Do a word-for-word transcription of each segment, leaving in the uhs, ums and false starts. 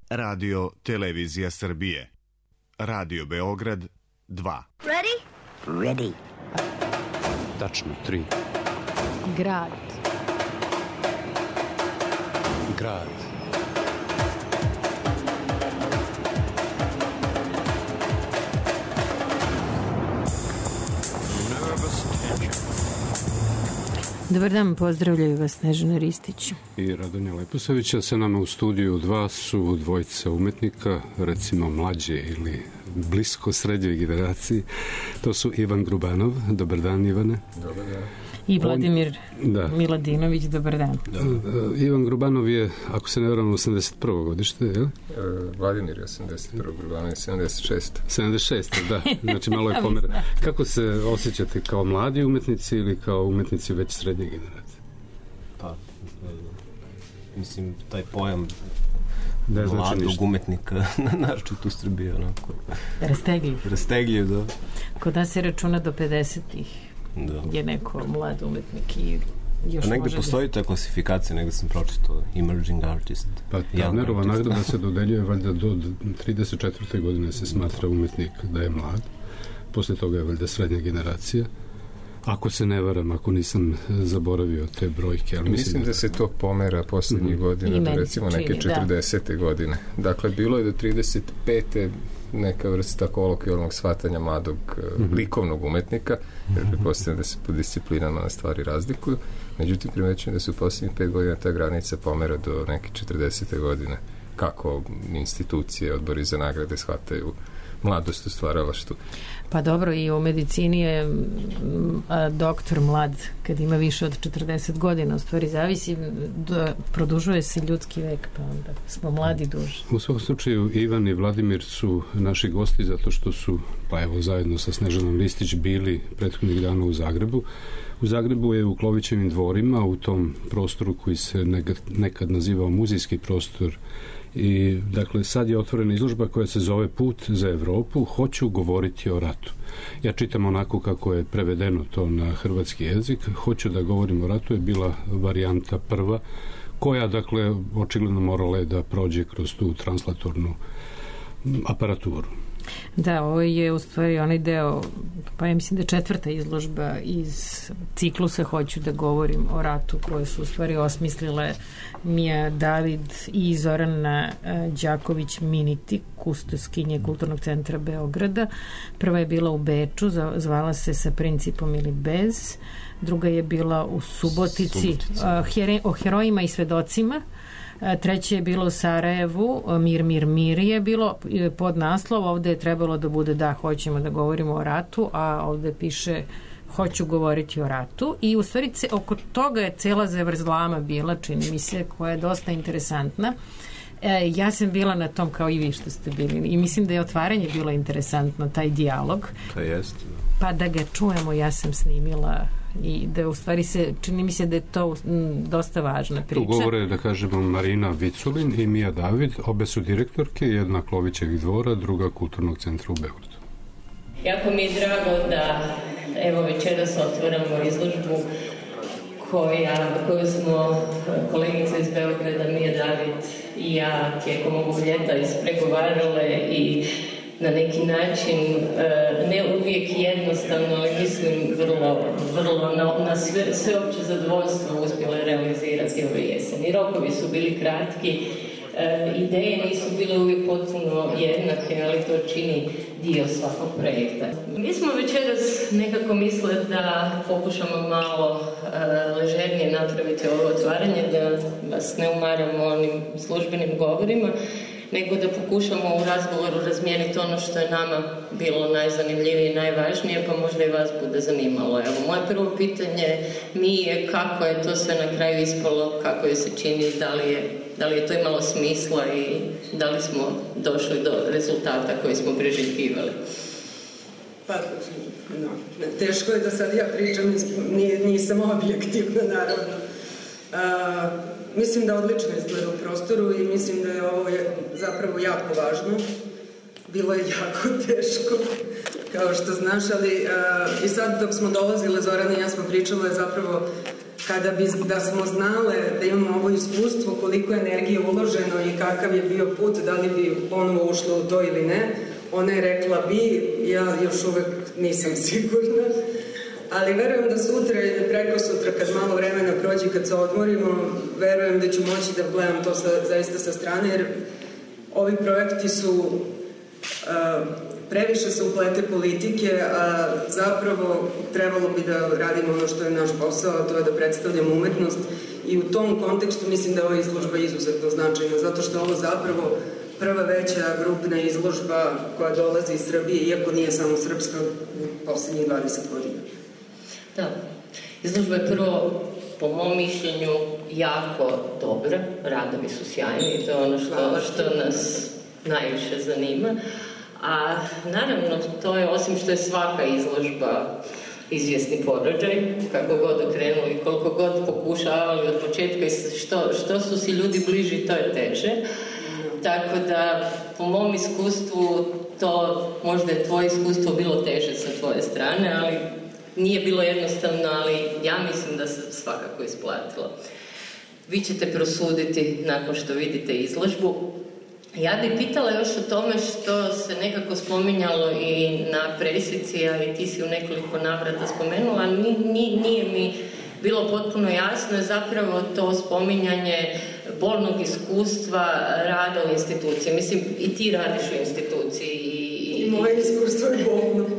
Radio Televizija Srbije. Radio Beograd dva. Ready? Ready. Tačno tri. Grad. Grad. Dobar dan, pozdravljaju vas Snežana Ristić i Radonja Leposavića. Sa nama u studiju dva su dvojica umetnika, recimo mlađe ili blisko srednjoj generaciji. To su Ivan Grubanov. Dobar dan, Ivane. Dobar dan. I Vladimir On, da. Miladinović. Dobar dan. Da. Ivan Grubanov je, ako se ne varam, osamdeset prvo godište, je li? E, Vladimir je osamdeset prvo, Grubanov je sedamdeset šest. sedamdeset šest, da. Znači malo je pomera. Kako se osjećate kao mladi umetnici ili kao umetnici već srednje generacije? Pa, mislim, taj pojam da znači mladog ništa. Umetnika, naročito u Srbiji, onako. Rastegljiv. Rastegljiv, da. Kod nas se računa do pedesetih. Da. Je neko mlad umetnik i još A negde može postoji da... ta klasifikacija, negde sam pročitao Emerging Artist. Pa Tabnerova nagrada se dodeljuje valjda do trideset četvrte godine se smatra umetnik da je mlad. Posle toga je valjda srednja generacija. Ako se ne varam, ako nisam zaboravio te brojke. Ali mislim, mislim da, da se to pomera poslednjih mm-hmm. godina, do recimo neke čini, četrdesete da. godine. Dakle, bilo je do trideset pete neka vrsta kolokvijalnog shvatanja mladog mm-hmm. likovnog umetnika, jer pretpostavljam da se po disciplinama na stvari razlikuju. Međutim, primećujem da se u poslednjih pet godina ta granica pomera do neke četrdesete godine. Kako institucije, odbori za nagrade shvataju mladost u stvaralaštvu. Pa dobro, i u medicini je a, doktor mlad kad ima više od četrdeset godina, u stvari zavisi, da produžuje se ljudski vek, pa onda smo mladi duže. U svakom slučaju Ivan i Vladimir su naši gosti zato što su, pa evo, zajedno sa Snežanom Ristić bili prethodnih dana u Zagrebu. U Zagrebu je u Klovićevim dvorima, u tom prostoru koji se nekad nazivao muzejski prostor. I dakle sad je otvorena izložba koja se zove Put za Evropu, hoću govoriti o ratu. Ja čitam onako kako je prevedeno to na hrvatski jezik. Hoću da govorim o ratu je bila varijanta prva, koja dakle očigledno morala je da prođe kroz tu translatornu aparaturu. Da, ovo je u stvari onaj deo, pa ja mislim da je četvrta izložba iz ciklusa Hoću da govorim o ratu, koje su u stvari osmislile Mija David i Zorana Đaković Miniti, kustoskinje Kulturnog centra Beograda. Prva je bila u Beču, zvala se Sa principom ili bez. Druga je bila u Subotici, Subotici. O herojima i svedocima. Treće je bilo u Sarajevu, Mir, mir, mir je bilo pod naslov, ovde je trebalo da bude da, hoćemo da govorimo o ratu, a ovde piše hoću govoriti o ratu i u stvari oko toga je cela zavrzlama bila, čini mi se, koja je dosta interesantna. E, ja sam bila na tom kao i vi što ste bili i mislim da je otvaranje bilo interesantno, taj dijalog. To jest. Pa da ga čujemo, ja sam snimila i da u stvari se, čini mi se da je to m, dosta važna priča. Tu govore, da kažemo, Marina Viculin i Mija David, obe su direktorke, jedna Klovićevih dvora, druga Kulturnog centra u Beogradu. Jako mi je drago da evo večeras otvaramo izložbu koja, koju smo kolegica iz Beograda, Mija David i ja tijekom ovog ljeta ispregovarale i na neki način, ne uvijek jednostavno, ali mislim vrlo, vrlo na, na sve, sveopće zadovoljstvo uspjele realizirati ove jeseni. Rokovi su bili kratki, ideje nisu bile uvijek potpuno jednake, ali to čini dio svakog projekta. Mi smo večeras nekako misle da pokušamo malo ležernije napraviti ovo otvaranje, da vas ne umaramo onim službenim govorima, nego da pokušamo u razgovoru razmijeniti ono što je nama bilo najzanimljivije i najvažnije, pa možda i vas bude zanimalo. Evo, moje prvo pitanje mi je kako je to sve na kraju ispalo, kako je se čini, da li je, da li je to imalo smisla i da li smo došli do rezultata koji smo priželjkivali. Pa, no, teško je da sad ja pričam, nisam objektivna, naravno. A, mislim da odlično izgleda u prostoru i mislim da je ovo je zapravo jako važno. Bilo je jako teško, kao što znaš, ali a, i sad dok smo dolazile, Zorana i ja smo pričale zapravo kada bi da smo znale da imamo ovo iskustvo, koliko je energije uloženo i kakav je bio put, da li bi ponovo ušlo u to ili ne, ona je rekla bi, ja još uvek nisam sigurna, ali verujem da sutra ili preko sutra, kad malo vremena prođe, kad se odmorimo, verujem da ću moći da gledam to sa, zaista sa strane, jer ovi projekti su uh, previše se uplete politike, a zapravo trebalo bi da radimo ono što je naš posao, a to je da predstavljamo umetnost, i u tom kontekstu mislim da je ova izložba izuzetno značajna, zato što je ovo zapravo prva veća grupna izložba koja dolazi iz Srbije, iako nije samo srpska, u poslednjih dvadeset godina. Da, izložba je prvo, po mom mišljenju, jako dobra, radovi su sjajni i to je ono što, što nas najviše zanima. A naravno, to je, osim što je svaka izložba izvjesni porođaj, kako god okrenuli, koliko god pokušavali od početka i što, što su si ljudi bliži, to je teže. Tako da, po mom iskustvu, to možda je tvoje iskustvo bilo teže sa tvoje strane, ali nije bilo jednostavno, ali ja mislim da se svakako isplatilo. Vi ćete prosuditi nakon što vidite izložbu. Ja bih pitala još o tome što se nekako spominjalo i na presici, a i ti si u nekoliko navrata spomenula, ni, nije mi bilo potpuno jasno, je zapravo to spominjanje bolnog iskustva rada u instituciji. Mislim, i ti radiš u instituciji. I, I moje iskustvo je bolno.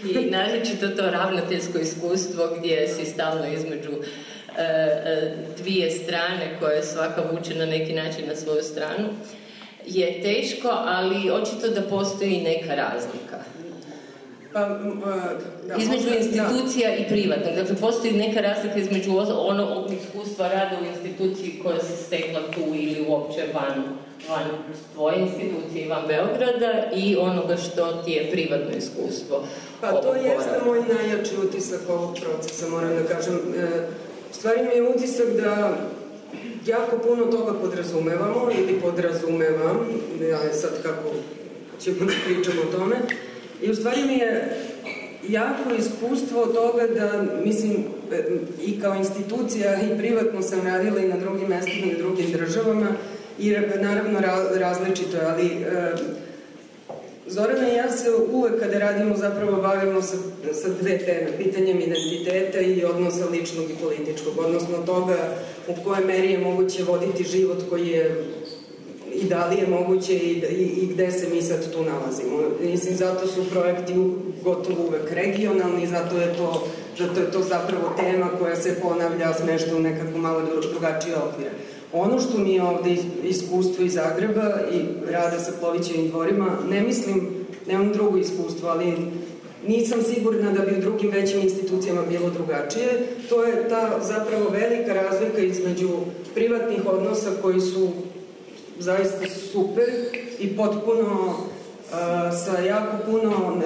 I naročito to ravnateljsko iskustvo gdje si stalno između e, e, dvije strane koje svaka vuče na neki način na svoju stranu. Je teško, ali očito da postoji neka razlika. Pa, da, između institucija da. I privatnog. Dakle, postoji neka razlika između onog iskustva rada u instituciji koja se stekla tu ili uopće van, van tvoje institucije, van Beograda, i onoga što ti je privatno iskustvo. Pa to jeste moj najjači utisak ovog procesa, moram da kažem. U stvari mi je utisak da jako puno toga podrazumevamo ili podrazumevam, ja sad kako ćemo da pričamo o tome, i u stvari mi je jako iskustvo toga da, mislim, i kao institucija i privatno sam radila i na drugim mestima i na drugim državama, i naravno različito je, ali e, Zorana i ja se uvek kada radimo zapravo bavimo sa, sa dve teme, pitanjem identiteta i odnosa ličnog i političkog, odnosno toga u kojoj meri je moguće voditi život koji je i da li je moguće i, i, i gde se mi sad tu nalazimo. Mislim, zato su projekti gotovo uvek regionalni, zato je to, zato je to zapravo tema koja se ponavlja, smešta u nekako malo drugačije okvire. Ono što mi je ovde iskustvo iz Zagreba i rada sa Plovićevim dvorima, ne mislim, nemam drugo iskustvo, ali nisam sigurna da bi u drugim većim institucijama bilo drugačije. To je ta zapravo velika razlika između privatnih odnosa koji su zaista super i potpuno uh, sa jako puno uh,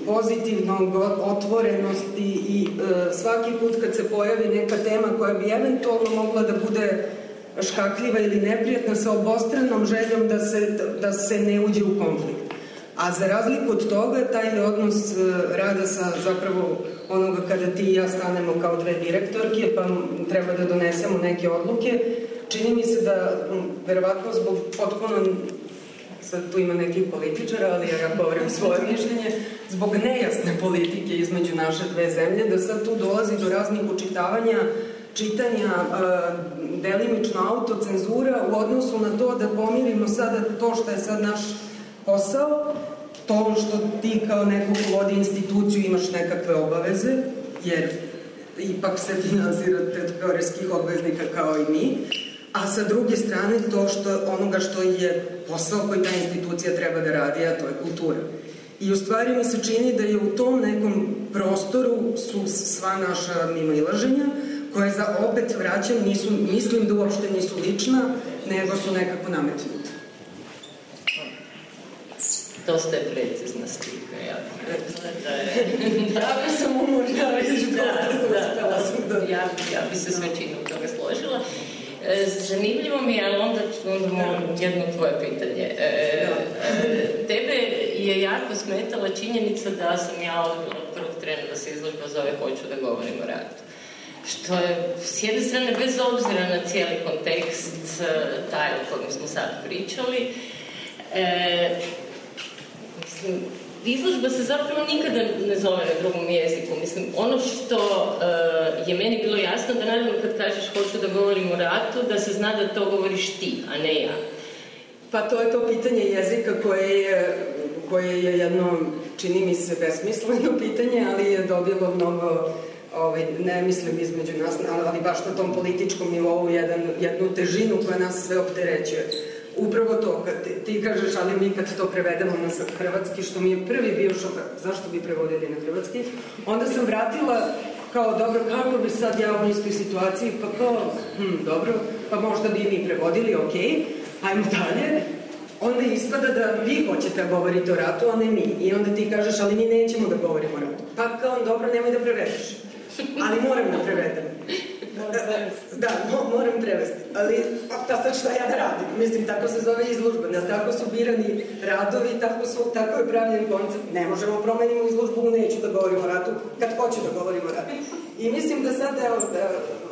pozitivnog otvorenosti i uh, svaki put kad se pojavi neka tema koja bi eventualno mogla da bude škakljiva ili neprijatna, sa obostranom željom da se, da se ne uđe u konflikt. A za razliku od toga, taj odnos rada sa zapravo onoga kada ti i ja stanemo kao dve direktorke, pa treba da donesemo neke odluke, čini mi se da, verovatno zbog potpuno, sad tu ima nekih političara, ali ja govorim svoje mišljenje, zbog nejasne politike između naše dve zemlje, da sad tu dolazi do raznih učitavanja, čitanja, delimično autocenzura u odnosu na to da pomirimo sada to što je sad naš posao, to što ti kao neko ko vodi instituciju imaš nekakve obaveze, jer ipak se finansirate od poreskih obveznika kao i mi, a sa druge strane to što, onoga što je posao koji ta institucija treba da radi, a to je kultura. I u stvari mi se čini da je u tom nekom prostoru su sva naša mimoilaženja, koje za opet vraćam, nisu, mislim da uopšte nisu lična, nego su nekako nametnuta. Dosta je precizna slika, ja bih rekla da je... Ja bih sam umorna, ja bih da, da, ja, ja bih se s većinom toga složila. Zanimljivo mi je, ali onda moram jedno tvoje pitanje. E, tebe je jako smetala činjenica da sam ja od prvog trena da se izložba zove Hoću da govorim o ratu. što je s jedne strane bez obzira na cijeli kontekst taj o kojem smo sad pričali. E, mislim, izložba se zapravo nikada ne zove na drugom jeziku. Mislim, ono što uh, je meni bilo jasno, da naravno kad kažeš hoću da govorim o ratu, da se zna da to govoriš ti, a ne ja. Pa to je to pitanje jezika koje je, koje je jedno, čini mi se, besmisleno pitanje, ali je dobilo mnogo, ovaj, ne mislim između nas, ali baš na tom političkom nivou jedan, jednu težinu koja nas sve opterećuje. Upravo to, kad ti, ti kažeš, ali mi kad to prevedemo na hrvatski, što mi je prvi bio šok, zašto bi prevodili na hrvatski, onda sam vratila kao, dobro, kako bi sad ja u istoj situaciji, pa kao, hm, dobro, pa možda bi mi prevodili, okej, okay, ajmo dalje. Onda ispada da vi hoćete da govorite o ratu, a ne mi. I onda ti kažeš, ali mi nećemo da govorimo o ratu. Pa kao, dobro, nemoj da prevedeš. Ali moram da prevedem. Da, mo, moram prevesti. Ali, pa sad šta ja da radim? Mislim, tako se zove izložba. Da, tako su birani radovi, tako, su, tako je pravljen koncept. Ne možemo promenimo izložbu, neću da govorim o ratu, kad hoću da govorim o ratu. I mislim da sad, evo, da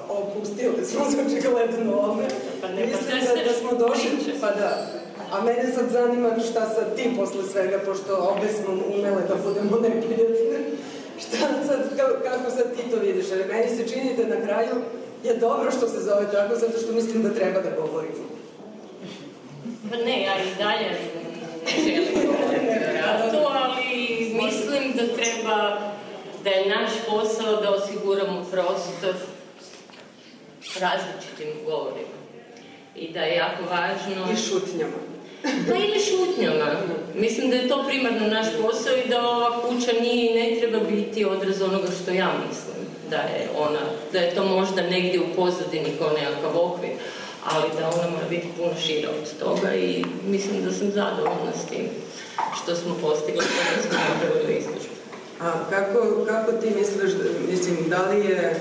opustili smo se očigledno ovome. Mislim da, da smo došli, pa da. A mene sad zanima šta sad ti posle svega, pošto obe smo umele da budemo neprijatne. Šta sad, kako sad ti to vidiš? Jer meni se čini da na kraju je dobro što se zove tako, zato što mislim da treba da govorimo. Pa ne, ja i dalje ne želim govoriti o ratu, ali mislim da treba, da je naš posao da osiguramo prostor različitim govorima. I da je jako važno... I šutnjama. Pa ili šutnjama. Mislim da je to primarno naš posao i da ova kuća nije i ne treba biti odraz onoga što ja mislim. Da je ona, da je to možda negdje u pozadini kao nekakav okvir, ali da ona mora biti puno šira od toga i mislim da sam zadovoljna s tim što smo postigli kada smo napravili izložbu. A kako, kako ti misliš, mislim, da li je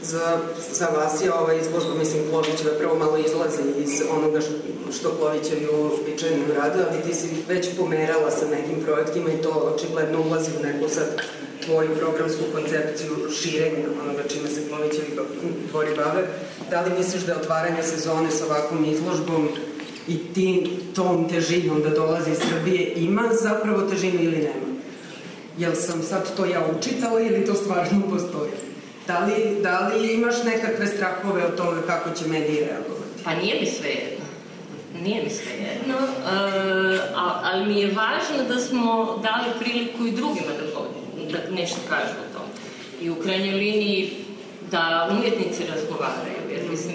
za, za vas je ova izložba, mislim, Klovićeva prvo malo izlazi iz onoga što, što Klovićevi uobičajeno rade, ali ti si već pomerala sa nekim projektima i to očigledno ulazi u neku sad tvoju programsku koncepciju širenja onoga čime se Klovićevi tvori bave. Da li misliš da je otvaranje sezone sa ovakvom izložbom i tim, tom težinom da dolazi iz Srbije ima zapravo težinu ili nema? Jel sam sad to ja učitala ili to stvarno postoji? Da li, da li imaš nekakve strahove o tome kako će mediji reagovati? Pa nije mi sve jedno. Nije mi sve jedno, uh, ali mi je važno da smo dali priliku i drugima da, da nešto kažu o tom. I u krajnjoj liniji da umjetnici razgovaraju, jer mislim,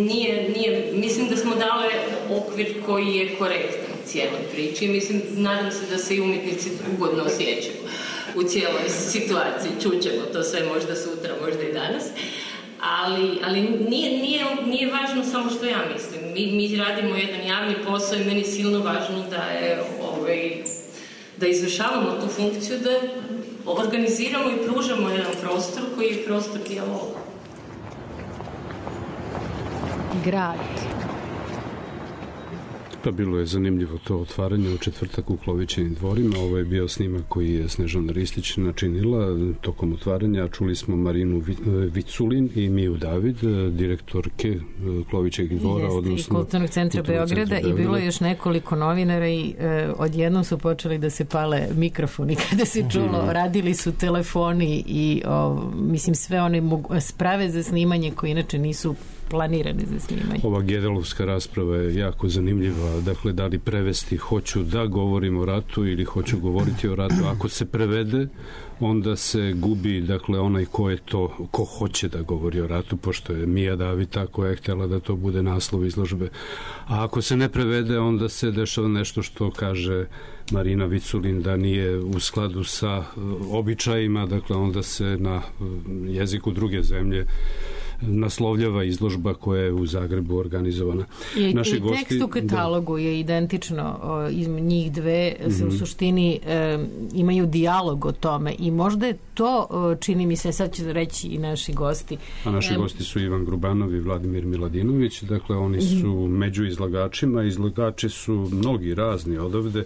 nije, nije, mislim da smo dali okvir koji je korektan cijeloj priči. Mislim, nadam se da se i umjetnici ugodno osjećaju u cijeloj situaciji. Čućemo to sve možda sutra, možda i danas. Ali, ali nije, nije, nije važno samo što ja mislim. Mi, mi radimo jedan javni posao i meni je silno važno da, je, ovaj, da izvršavamo tu funkciju, da organiziramo i pružamo jedan prostor koji je prostor dijaloga. Grad. Pa bilo je zanimljivo to otvaranje u četvrtak u Klovićevim dvorima. Ovo je bio snimak koji je Snežana Ristić načinila tokom otvaranja. Čuli smo Marinu Viculin i Miju David, direktorke Klovićevih dvora. Jeste, odnosno, i Kulturnog centra Beograda i bilo je još nekoliko novinara i e, odjednom su počeli da se pale mikrofoni kada se čulo. Mm. Radili su telefoni i o, mislim sve one mogu, sprave za snimanje koje inače nisu planirane za snimanje. Ova Gedelovska rasprava je jako zanimljiva. Dakle, da li prevesti hoću da govorim o ratu ili hoću govoriti o ratu. Ako se prevede, onda se gubi, dakle, onaj ko je to, ko hoće da govori o ratu, pošto je Mija David ta koja je htjela da to bude naslov izložbe. A ako se ne prevede, onda se dešava nešto što kaže Marina Viculin da nije u skladu sa običajima, dakle, onda se na jeziku druge zemlje naslovljava izložba koja je u Zagrebu organizovana. I, Naši i gosti, tekst u katalogu da, je identično o, između njih dve, se mm-hmm. u suštini e, imaju dijalog o tome i možda je to, o, čini mi se, sad ću reći i naši gosti. A naši e, gosti su Ivan Grubanov i Vladimir Miladinović, dakle oni su mm-hmm. među izlagačima, izlagači su mnogi razni odavde,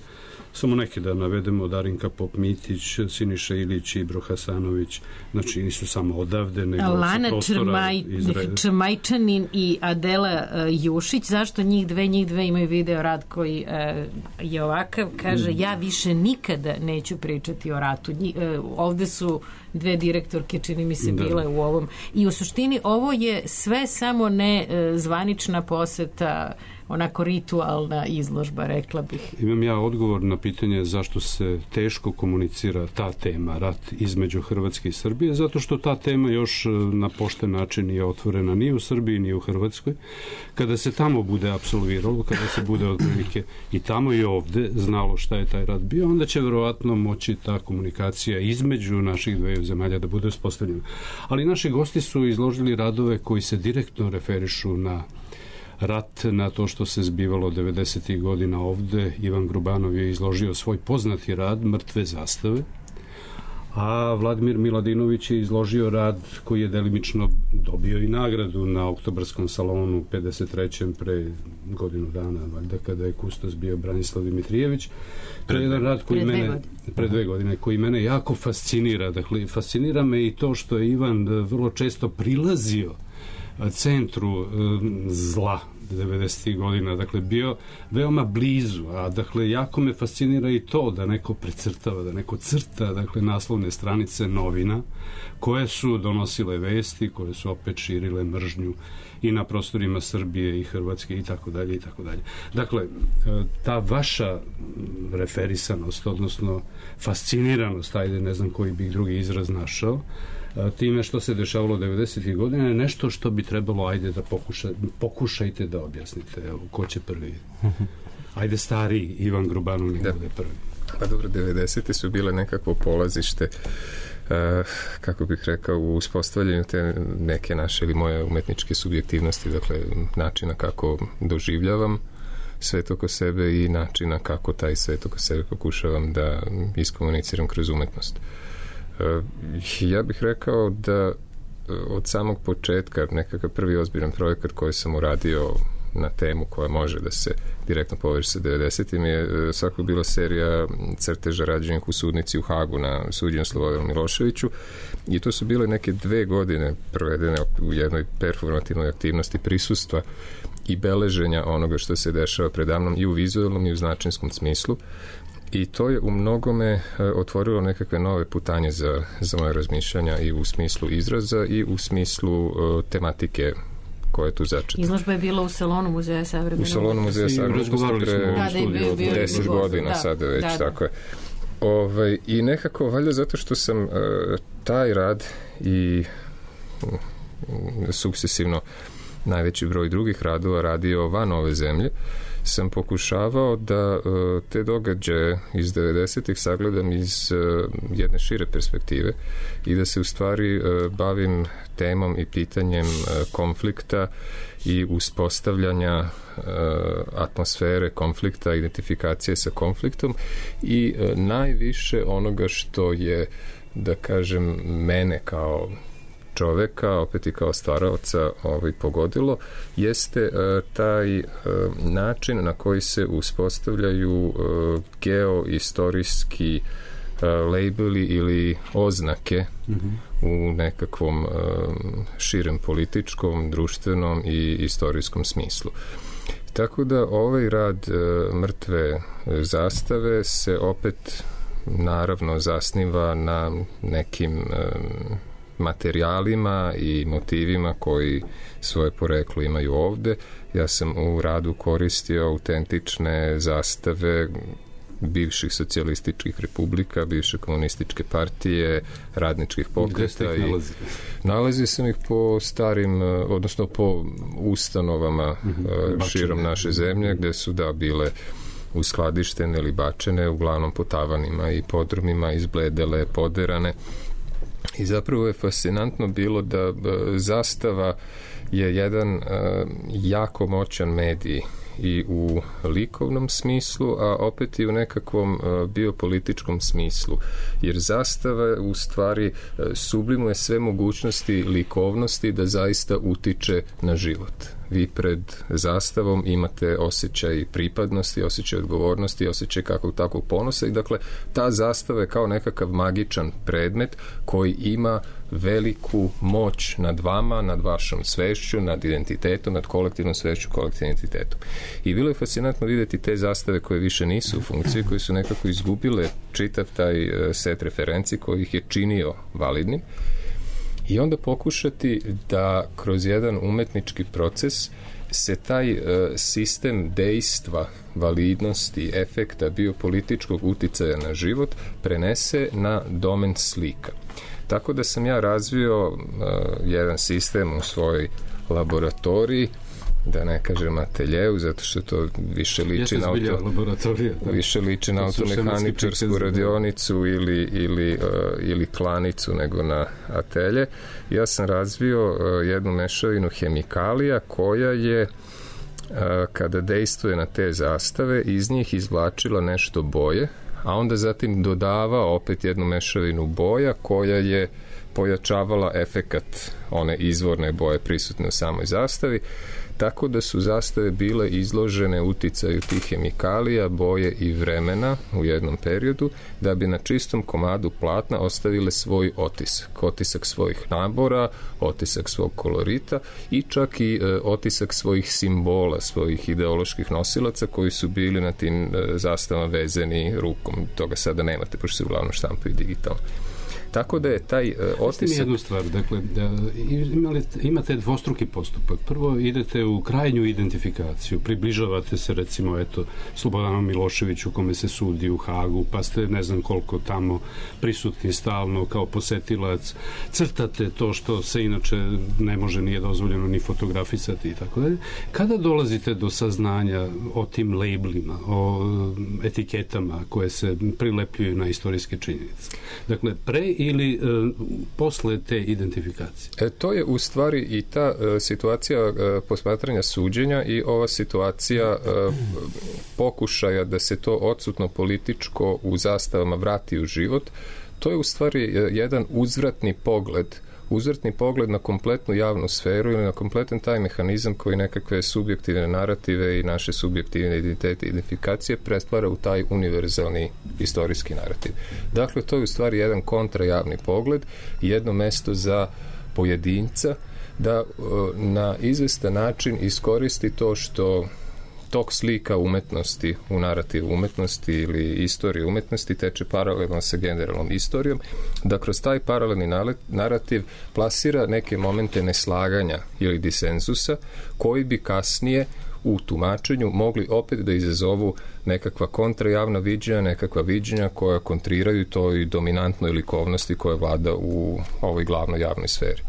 Samo neke da navedemo: Darinka Pop-Mitić, Siniša Ilić, Ibro Hasanović, znači nisu samo odavde, nego Lana sa prostora Črmaj, Izraela. Črmajčanin i Adela uh, Jušić. Zašto njih dve? Njih dve imaju video rad koji uh, je ovakav. Kaže, ja više nikada neću pričati o ratu. Nji, uh, ovde su dve direktorke, čini mi se, bile da. u ovom. I u suštini ovo je sve samo ne uh, zvanična poseta, onako ritualna izložba, rekla bih. Imam ja odgovor na pitanje zašto se teško komunicira ta tema, rat između Hrvatske i Srbije, zato što ta tema još na pošten način nije otvorena ni u Srbiji, ni u Hrvatskoj. Kada se tamo bude apsolviralo, kada se bude otprilike i tamo i ovde znalo šta je taj rat bio, onda će verovatno moći ta komunikacija između naših dveju zemalja da bude uspostavljena. Ali naši gosti su izložili radove koji se direktno referišu na rat, na to što se zbivalo devedesetih godina ovde. Ivan Grubanov je izložio svoj poznati rad Mrtve zastave, a Vladimir Miladinović je izložio rad koji je delimično dobio i nagradu na Oktobarskom salonu pedeset trećem pre godinu dana, valjda, kada je kustos bio Branislav Dimitrijević. To je jedan rad koji pre mene godine. pre dve godine, koji mene jako fascinira. Dakle, fascinira me i to što je Ivan vrlo često prilazio centru zla devedesetih godina, dakle bio veoma blizu, a dakle jako me fascinira i to da neko precrtava, da neko crta, dakle, naslovne stranice novina koje su donosile vesti, koje su opet širile mržnju i na prostorima Srbije i Hrvatske i tako dalje i tako dalje. Dakle, ta vaša referisanost, odnosno fasciniranost, ajde, ne znam koji bih drugi izraz našao, time što se dešavalo devedesetih godina je nešto što bi trebalo, ajde, da pokuša, pokušajte da objasnite. Evo, ko će prvi? Ajde, stariji Ivan Grubanov ne bude prvi. Pa dobro, devedesete su bile nekakvo polazište, uh, kako bih rekao, u uspostavljanju te neke naše ili moje umetničke subjektivnosti, dakle načina kako doživljavam svet oko sebe i načina kako taj svet oko sebe pokušavam da iskomuniciram kroz umetnost. Ja bih rekao da od samog početka nekakav prvi ozbiljan projekat koji sam uradio na temu koja može da se direktno poveže sa devedesetim je svakako bila serija crteža rađenih u sudnici u Hagu na suđenju Slobodanu Miloševiću, i to su bile neke dve godine provedene u jednoj performativnoj aktivnosti prisustva i beleženja onoga što se dešava predamnom i u vizualnom i u značinskom smislu. I to je u mnogome otvorilo nekakve nove putanje za, za moje razmišljanja i u smislu izraza i u smislu uh, tematike koja je tu začeta. Izložba je bila u salonu Muzeja savremene. U salonu Muzeja savremene pre deset godina, da, sada već, da, da. Tako je. Ovaj, I nekako, valjda zato što sam uh, taj rad i uh, sukcesivno najveći broj drugih radova radio van ove zemlje, sam pokušavao da uh, te događaje iz devedesetih sagledam iz uh, jedne šire perspektive i da se u stvari uh, bavim temom i pitanjem uh, konflikta i uspostavljanja uh, atmosfere konflikta, identifikacije sa konfliktom i uh, najviše onoga što je, da kažem, mene kao čoveka, opet i kao stvaraoca ovaj, pogodilo, jeste uh, taj uh, način na koji se uspostavljaju uh, geoistorijski uh, labeli ili oznake mm-hmm. u nekakvom uh, širem političkom, društvenom i istorijskom smislu. Tako da ovaj rad uh, Mrtve zastave se opet naravno zasniva na nekim um, materijalima i motivima koji svoje poreklo imaju ovde. Ja sam u radu koristio autentične zastave bivših socijalističkih republika, bivše komunističke partije, radničkih pokreta. I nalazi? Nalazio sam ih po starim, odnosno po ustanovama mm-hmm. širom naše zemlje, gde su da bile uskladištene ili bačene, uglavnom po tavanima i podrumima, izbledele, poderane. I zapravo je fascinantno bilo da zastava je jedan uh, jako moćan medij i u likovnom smislu, a opet i u nekakvom uh, biopolitičkom smislu. Jer zastava u stvari uh, sublimuje sve mogućnosti likovnosti da zaista utiče na život. vi pred zastavom imate osjećaj pripadnosti, osjećaj odgovornosti, osjećaj kakvog takvog ponosa i dakle ta zastava je kao nekakav magičan predmet koji ima veliku moć nad vama, nad vašom svešću, nad identitetom, nad kolektivnom svešću, kolektivnom identitetom. I bilo je fascinantno vidjeti te zastave koje više nisu u funkciji, koje su nekako izgubile čitav taj set referenci koji ih je činio validnim i onda pokušati da kroz jedan umetnički proces se taj uh, sistem dejstva, validnosti, efekta, biopolitičkog uticaja na život prenese na domen slika. Tako da sam ja razvio uh, jedan sistem u svojoj laboratoriji, da ne kažem ateljeu, zato što to više liči na auto, više liči na automehaničarsku radionicu ili, ili, uh, ili klanicu nego na atelje. Ja sam razvio uh, jednu mešavinu hemikalija koja je uh, kada dejstvuje na te zastave iz njih izvlačila nešto boje, a onda zatim dodava opet jednu mešavinu boja koja je pojačavala efekat one izvorne boje prisutne u samoj zastavi, tako da su zastave bile izložene uticaju tih hemikalija, boje i vremena u jednom periodu, da bi na čistom komadu platna ostavile svoj otisak. Otisak svojih nabora, otisak svog kolorita i čak i e, otisak svojih simbola, svojih ideoloških nosilaca koji su bili na tim e, zastavama vezani rukom. Toga sada nemate, pošto se uglavnom štampaju digitalno. Tako da je taj uh, otisak... Mislim jednu stvar, dakle, da imali, imate dvostruki postupak. Prvo idete u krajnju identifikaciju, približavate se recimo, eto, Slobodanu Miloševiću kome se sudi u Hagu, pa ste ne znam koliko tamo prisutni stalno kao posetilac, crtate to što se inače ne može, nije dozvoljeno ni fotografisati i tako dalje. Kada dolazite do saznanja o tim labelima, o etiketama koje se prilepljuju na istorijske činjenice? Dakle, pre ili e, posle te identifikacije? E, to je u stvari i ta e, situacija e, posmatranja suđenja i ova situacija e, pokušaja da se to odsutno političko u zastavama vrati u život. To je u stvari e, jedan uzvratni pogled uzvrtni pogled na kompletnu javnu sferu ili na kompletan taj mehanizam koji nekakve subjektivne narative i naše subjektivne identitete i identifikacije prestvara u taj univerzalni istorijski narativ. Dakle, to je u stvari jedan kontrajavni pogled, jedno mesto za pojedinca da na izvestan način iskoristi to što tok slika umetnosti u narativu umetnosti ili istorije umetnosti teče paralelno sa generalnom istorijom, da kroz taj paralelni narativ plasira neke momente neslaganja ili disenzusa koji bi kasnije u tumačenju mogli opet da izazovu nekakva kontrajavna viđenja, nekakva viđenja koja kontriraju toj dominantnoj likovnosti koja vlada u ovoj glavnoj javnoj sferi.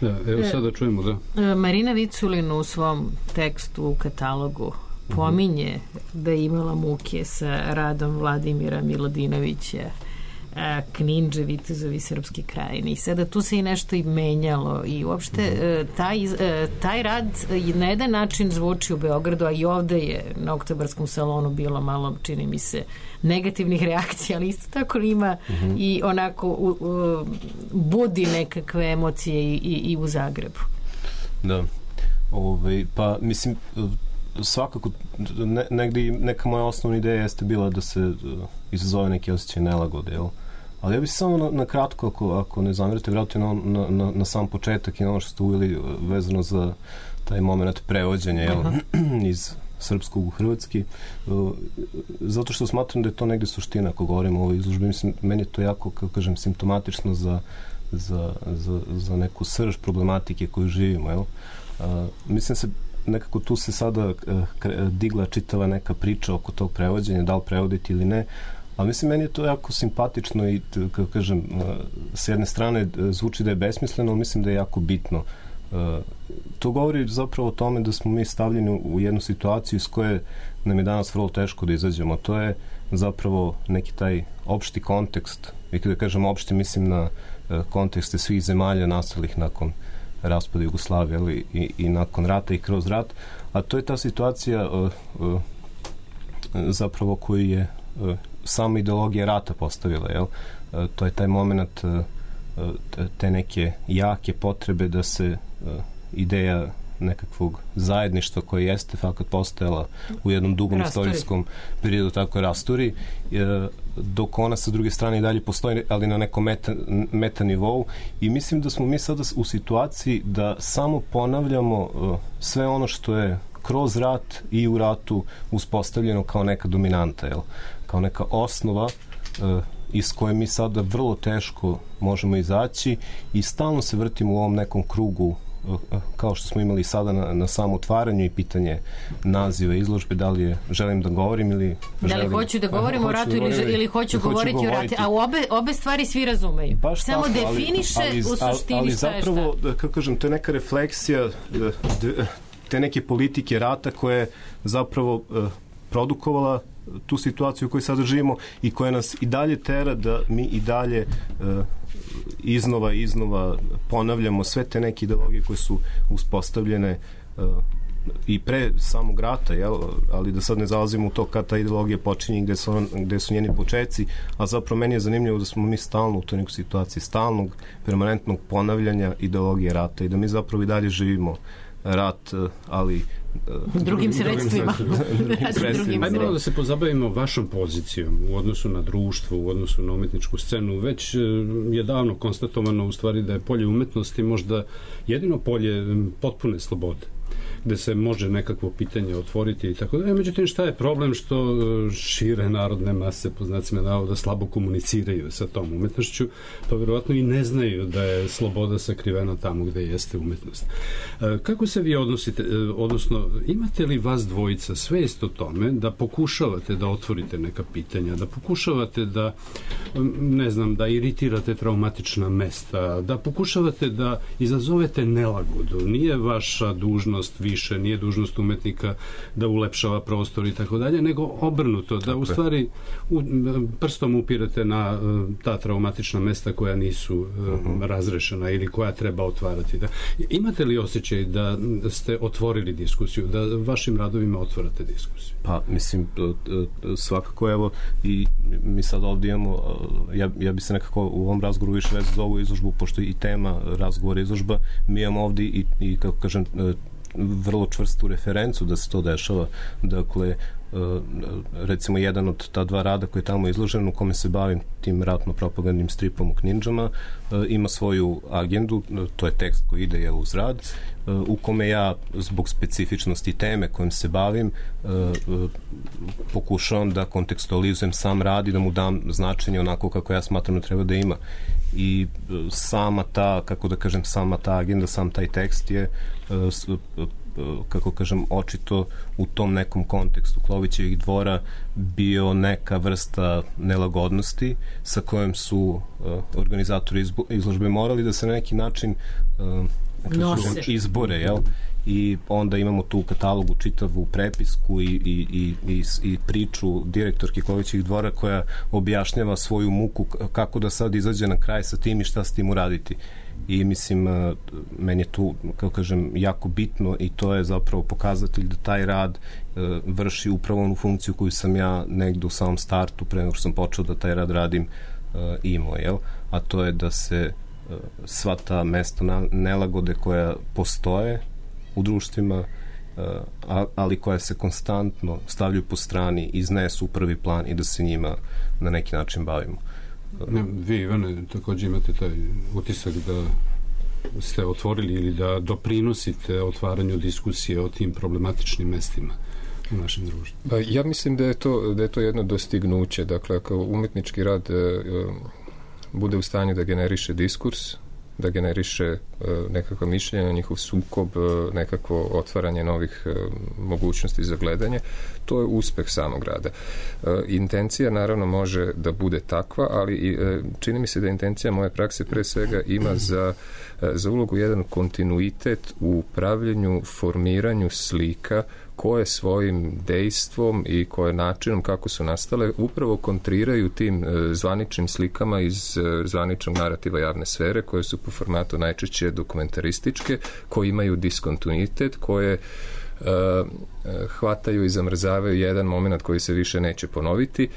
Da, evo sada čujemo, da. Marina Viculin u svom tekstu u katalogu pominje da je imala muke sa radom Vladimira Milodinovića, Kninđe, Vitezovi Srpske krajine. I sada tu se i nešto i menjalo i uopšte taj, taj rad na jedan način zvuči u Beogradu, a i ovde je na Oktobarskom salonu bilo malo, čini mi se, negativnih reakcija, ali isto tako ima mm-hmm. i onako u, u, budi nekakve emocije i, i, i u Zagrebu. Da. Ove, pa mislim svakako ne, negdje neka moja osnovna ideja jeste bila da se uh, izazove neki osjećaj nelagode, jel? Ali ja bih samo na, na kratko, ako, ako ne zamerite, vratiti na, na, na, na sam početak i na ono što ste uveli vezano za taj moment prevođenja, jel? Iz srpskog u hrvatski, uh, zato što smatram da je to negdje suština ako govorimo o ovoj izložbi. Mislim, meni je to jako, kako kažem, simptomatično za, za, za, za neku srž problematike koju živimo, jel? Uh, mislim se nekako tu se sada uh, digla čitava neka priča oko tog prevođenja, da li prevoditi ili ne, ali mislim meni je to jako simpatično i kako kažem, uh, s jedne strane uh, zvuči da je besmisleno, ali mislim da je jako bitno. Uh, to govori zapravo o tome da smo mi stavljeni u, u jednu situaciju iz koje nam je danas vrlo teško da izađemo. To je zapravo neki taj opšti kontekst, i kada kažem opšti mislim na uh, kontekste svih zemalja nastalih nakon raspada Jugoslavije, ali i, i nakon rata i kroz rat, a to je ta situacija uh, uh, zapravo koju je uh, sama ideologija rata postavila, jel? Uh, to je taj moment uh, te neke jake potrebe da se uh, ideja nekakvog zajedništva koje jeste fakat postojala u jednom dugom rasturi. Istorijskom periodu, tako rasturi, e, dok ona sa druge strane i dalje postoji, ali na nekom meta, meta nivou, i mislim da smo mi sada u situaciji da samo ponavljamo e, sve ono što je kroz rat i u ratu uspostavljeno kao neka dominanta, jel? Kao neka osnova e, iz koje mi sada vrlo teško možemo izaći i stalno se vrtimo u ovom nekom krugu, kao što smo imali sada na, na samom otvaranju i pitanje naziva izložbe, da li je želim da govorim ili da li želim, hoću da govorim a, o ratu da ili, ili hoću govoriti o ratu, a obe, obe stvari svi razumeju. Baš samo tako, definiše ali, ali, u suštini ali, ali šta je šta. Ali zapravo, kako kažem, to je neka refleksija te neke politike rata koja je zapravo uh, produkovala tu situaciju u kojoj sada živimo i koja nas i dalje tera da mi i dalje uh, iznova i iznova ponavljamo sve te neke ideologije koje su uspostavljene uh, i pre samog rata, jel? Ali da sad ne zalazimo u to kad ta ideologija počinje, gde su, on, gde su njeni počeci, a zapravo meni je zanimljivo da smo mi stalno u toj nekoj situaciji stalnog, permanentnog ponavljanja ideologije rata i da mi zapravo i dalje živimo rat, ali drugim, drugim sredstvima. Ajde malo da se pozabavimo vašom pozicijom u odnosu na društvo, u odnosu na umetničku scenu. Već je davno konstatovano u stvari da je polje umetnosti možda jedino polje potpune slobode, gde se može nekakvo pitanje otvoriti i tako da. Međutim, šta je problem što šire narodne mase, po znacima navoda, slabo komuniciraju sa tom umetnošću, pa verovatno i ne znaju da je sloboda sakrivena tamo gde jeste umetnost. Kako se vi odnosite, odnosno, imate li vas dvojica svest o tome da pokušavate da otvorite neka pitanja, da pokušavate da, ne znam, da iritirate traumatična mesta, da pokušavate da izazovete nelagodu? Nije vaša dužnost više, nije dužnost umetnika da ulepšava prostor i tako dalje, nego obrnuto, da u stvari u, prstom upirate na ta traumatična mesta koja nisu uh-huh. razrešena ili koja treba otvarati. Da. Imate li osjećaj da ste otvorili diskusiju, da vašim radovima otvarate diskusiju? Pa, mislim, svakako, evo, i mi sad ovdje imamo, ja, ja bi se nekako u ovom razgovoru više vezao za ovu izložbu, pošto i tema razgovora izložba, mi imamo ovdje i, i kako kažem, vrlo čvrstu referencu da se to dešava. Dakle, recimo jedan od ta dva rada koji je tamo izložen, u kome se bavim tim ratno-propagandnim stripom u Knindžama, ima svoju agendu, to je tekst koji ide jel, uz rad, u kome ja zbog specifičnosti teme kojim se bavim pokušavam da kontekstualizujem sam rad i da mu dam značenje onako kako ja smatram da treba da ima. I sama ta, kako da kažem, sama ta agenda, sam taj tekst je kako kažem, očito u tom nekom kontekstu Klovićevih dvora bio neka vrsta nelagodnosti sa kojom su uh, organizatori izložbe morali da se na neki način uh, kažem, izbore, jel? I onda imamo tu u katalogu čitavu prepisku i, i, i, i, i priču direktorke Klovićevih dvora koja objašnjava svoju muku kako da sad izađe na kraj sa tim i šta s tim uraditi. I mislim, meni je tu, kako kažem, jako bitno i to je zapravo pokazatelj da taj rad e, vrši upravo onu funkciju koju sam ja negdje u samom startu, pre nego što sam počeo da taj rad radim, e, imao, jel? A to je da se e, sva ta mesta na, nelagode koja postoje u društvima, e, ali koja se konstantno stavljaju po strani, iznesu u prvi plan i da se njima na neki način bavimo. Ne, vi, Ivane, također imate taj utisak da ste otvorili ili da doprinosite otvaranju diskusije o tim problematičnim mestima u našem društvu. Pa, ja mislim da je to, da je to jedno dostignuće. Dakle, ako umetnički rad e, bude u stanju da generiše diskurs, da generiše e, nekakva mišljenja, njihov sukob, e, nekakvo otvaranje novih e, mogućnosti za gledanje, to je uspeh samog rada. E, intencija naravno može da bude takva, ali i, e, čini mi se da intencija moje prakse pre svega ima za, e, za ulogu jedan kontinuitet u pravljenju, formiranju slika koje svojim dejstvom i koje načinom kako su nastale upravo kontriraju tim e, zvaničnim slikama iz e, zvaničnog narativa javne sfere koje su po formatu najčešće dokumentarističke, koje imaju diskontinuitet, koje e, hvataju i zamrzavaju jedan moment koji se više neće ponoviti,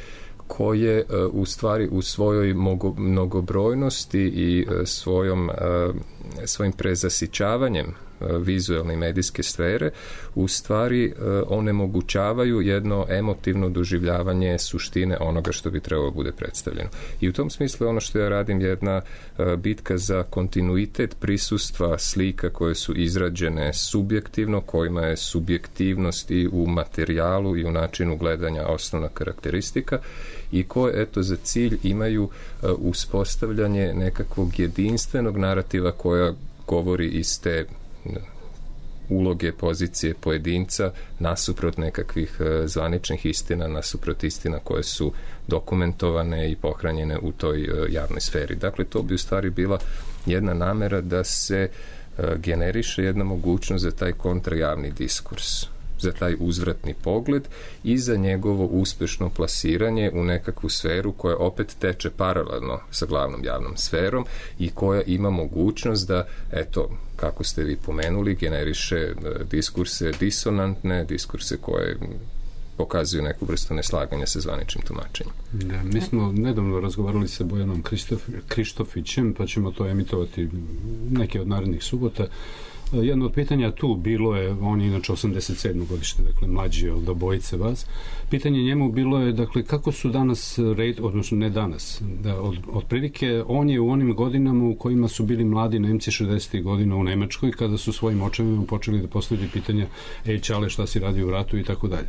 koje e, u stvari u svojoj mogo, mnogobrojnosti i e, svojom, e, svojim prezasićavanjem vizualne i medijske sfere u stvari onemogućavaju jedno emotivno doživljavanje suštine onoga što bi trebalo bude predstavljeno. I u tom smislu ono što ja radim je jedna bitka za kontinuitet prisustva slika koje su izrađene subjektivno, kojima je subjektivnost i u materijalu i u načinu gledanja osnovna karakteristika i koje, eto, za cilj imaju uh, uspostavljanje nekakvog jedinstvenog narativa koja govori iz te uh, uloge, pozicije pojedinca nasuprot nekakvih uh, zvaničnih istina, nasuprot istina koje su dokumentovane i pohranjene u toj uh, javnoj sferi. Dakle, to bi u stvari bila jedna namera da se uh, generiše jedna mogućnost za taj kontrajavni diskurs, za taj uzvratni pogled i za njegovo uspešno plasiranje u nekakvu sferu koja opet teče paralelno sa glavnom javnom sferom i koja ima mogućnost da, eto, kako ste vi pomenuli, generiše diskurse disonantne, diskurse koje pokazuju neku vrstu neslaganja sa zvaničnim tumačenjem. Da, mi smo nedavno razgovarali sa Bojanom Krištof, Krištofićem, pa ćemo to emitovati neke od narednih subota. Jedno od pitanja tu bilo je, on je inače osamdeset sedmog godište, dakle mlađi od obojice vas. Pitanje njemu bilo je, dakle, kako su danas, red, odnosno ne danas, da od, otprilike on je u onim godinama u kojima su bili mladi Nemci šezdesetih godina u Nemačkoj, kada su svojim očevima počeli da postavljaju pitanja, ej čale, šta si radio u ratu i tako dalje.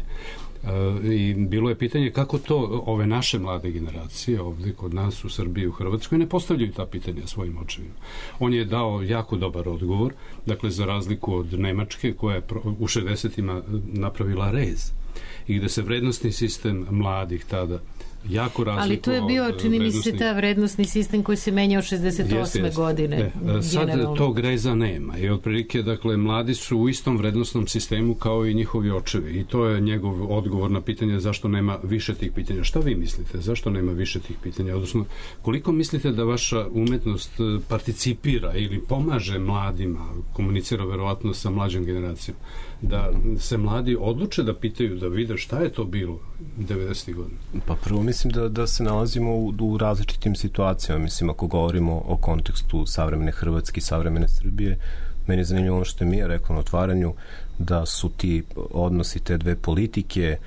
I bilo je pitanje kako to ove naše mlade generacije ovdje kod nas u Srbiji, u Hrvatskoj ne postavljaju ta pitanja svojim očevima. On je dao jako dobar odgovor, dakle za razliku od Nemačke koja je u šezdesetima napravila rez i gde se vrednostni sistem mladih tada jako razlikovao. Ali to je bio, čini mi se, ta vrednostni sistem koji se menjao šezdeset osme Jeste, jeste. godine. E, sad tog reza nema i otprilike, dakle, mladi su u istom vrednostnom sistemu kao i njihovi očevi i to je njegov odgovor na pitanje zašto nema više tih pitanja. Šta vi mislite? Zašto nema više tih pitanja? Odnosno, koliko mislite da vaša umetnost participira ili pomaže mladima, komunicira verovatno sa mlađom generacijom, da se mladi odluče da pitaju, da vide šta je to bilo devedesetih godina? Pa prvo mislim da, da se nalazimo u, u različitim situacijama. Mislim, ako govorimo o kontekstu savremene Hrvatske i savremene Srbije, meni je zanimljivo ono što je Mija rekla na otvaranju, da su ti odnosi te dve politike,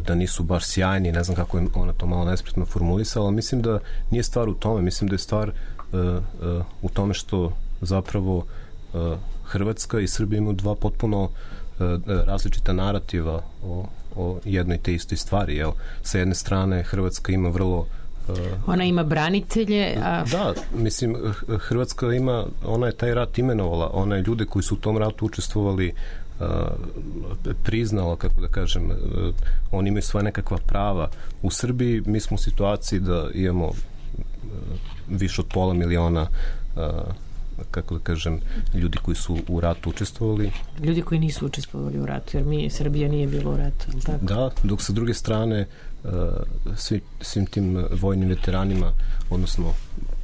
da nisu baš sjajni, ne znam kako je ona to malo nespretno formulisala, ali mislim da nije stvar u tome, mislim da je stvar uh, uh, u tome što zapravo uh, Hrvatska i Srbija imaju dva potpuno uh, različita narativa o, o jednoj te istoj stvari, jel? Sa jedne strane Hrvatska ima vrlo uh, ona ima branitelje, a... Da, mislim, Hrvatska ima, ona je taj rat imenovala, ona je ljude koji su u tom ratu učestvovali uh, priznala, kako da kažem, uh, oni imaju svoje nekakva prava. U Srbiji mi smo u situaciji da imamo uh, više od pola miliona uh, kako da kažem, ljudi koji su u ratu učestvovali. Ljudi koji nisu učestvovali u ratu, jer mi, Srbija nije bilo u ratu, tako? Da, dok sa druge strane uh, svi, svim tim vojnim veteranima, odnosno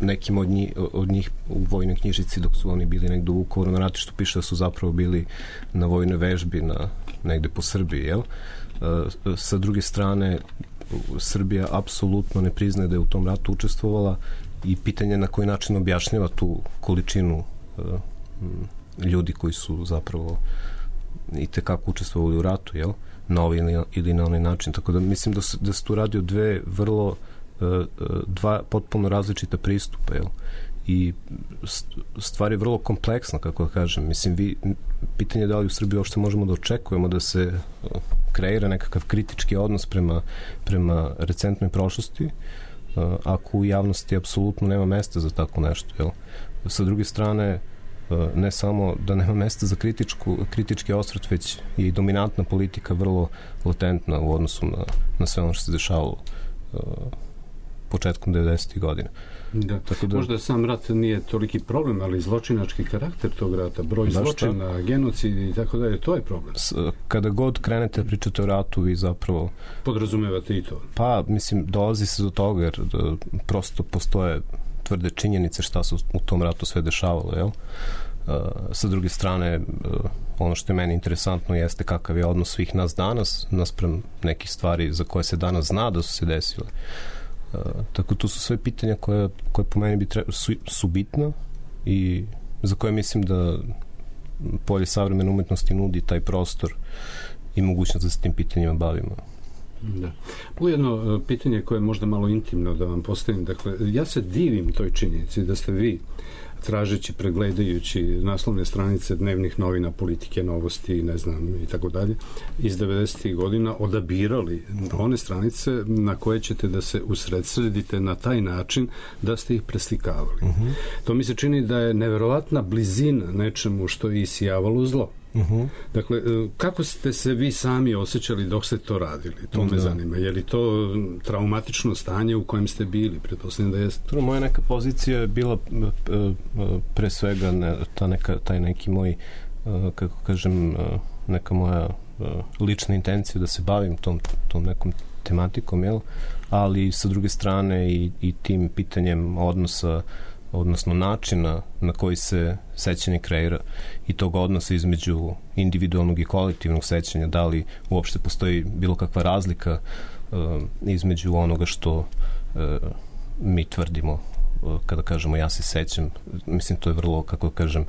nekim od njih, od njih u vojnoj knjižici dok su oni bili negde u Vukovaru na ratištu piše da su zapravo bili na vojnoj vežbi na, negde po Srbiji, jel? Uh, sa druge strane Srbija apsolutno ne priznaje da je u tom ratu učestvovala i pitanje na koji način objašnjava tu količinu uh, ljudi koji su zapravo i tekako učestvovali u ratu, jel? Na ovaj ili, ili na onaj način. Tako da mislim da se, da se tu radi o dve vrlo uh, dva potpuno različita pristupa, jel? I stvar je vrlo kompleksna, kako da kažem. Mislim, vi, pitanje je da li u Srbiji uopšte možemo da očekujemo da se uh, kreira nekakav kritički odnos prema, prema recentnoj prošlosti, Uh, ako u javnosti apsolutno nema mesta za tako nešto, jel? Sa druge strane, uh, ne samo da nema mesta za kritičku, kritički osvrt, već i dominantna politika vrlo latentna u odnosu na, na sve ono što se dešavalo uh, početkom devedesetih godina. Da. Tako da, možda sam rat nije toliki problem, ali zločinački karakter tog rata, broj zločina, genocid i tako dalje, to je problem. S, kada god krenete pričate o ratu, vi zapravo podrazumevate i to. Pa, mislim, dolazi se do toga jer da, prosto postoje tvrde činjenice šta se u tom ratu sve dešavalo, jel? Uh, sa druge strane, uh, ono što je meni interesantno jeste kakav je odnos svih nas danas naspram nekih stvari za koje se danas zna da su se desile. Uh, tako to su sve pitanja koje, koje po meni bi treba, su, su bitna i za koje mislim da polje savremene umetnosti nudi taj prostor i mogućnost da se tim pitanjima bavimo. Da. Ujedno pitanje koje je možda malo intimno da vam postavim, dakle, ja se divim toj činjenici da ste vi tražeći, pregledajući naslovne stranice dnevnih novina, Politike, Novosti, ne znam, i tako dalje, iz devedesetih godina odabirali one stranice na koje ćete da se usredsredite na taj način da ste ih preslikavali. Uh-huh. To mi se čini da je neverovatna blizina nečemu što je isijavalo zlo. Uh-huh. Dakle, kako ste se vi sami osjećali dok ste to radili? To me da. zanima. Je li to traumatično stanje u kojem ste bili? Pretpostavljam da jeste. Moja neka pozicija je bila pre svega ne, ta neka, taj neki moj, kako kažem, neka moja lična intencija da se bavim tom, tom nekom tematikom, jel? Ali sa druge strane i, i tim pitanjem odnosa, odnosno načina na koji se sećanje kreira i tog odnosa između individualnog i kolektivnog sećanja, da li uopšte postoji bilo kakva razlika uh, između onoga što uh, mi tvrdimo uh, kada kažemo ja se sećam. Mislim, to je vrlo, kako kažem,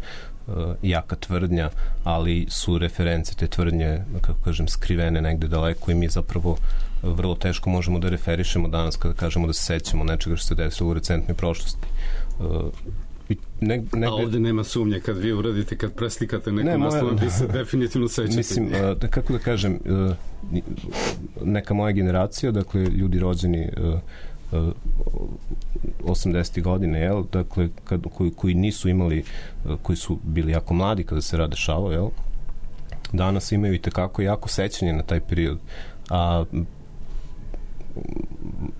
uh, jaka tvrdnja, ali su reference te tvrdnje, kako kažem, skrivene negde daleko i mi zapravo vrlo teško možemo da referišemo danas kada kažemo da se sećamo nečega što se desilo u recentnoj prošlosti. Uh, ne, negde... A ovde nema sumnje kad vi uradite, kad preslikate neku ne, naslov, vi se definitivno sećate. Mislim, uh, kako da kažem, uh, neka moja generacija, dakle, ljudi rođeni uh, uh, osamdesetih godine, jel, dakle, kad, koji, koji nisu imali, uh, koji su bili jako mladi kada se rad dešavao, jel, danas imaju i tekako jako sećanje na taj period. A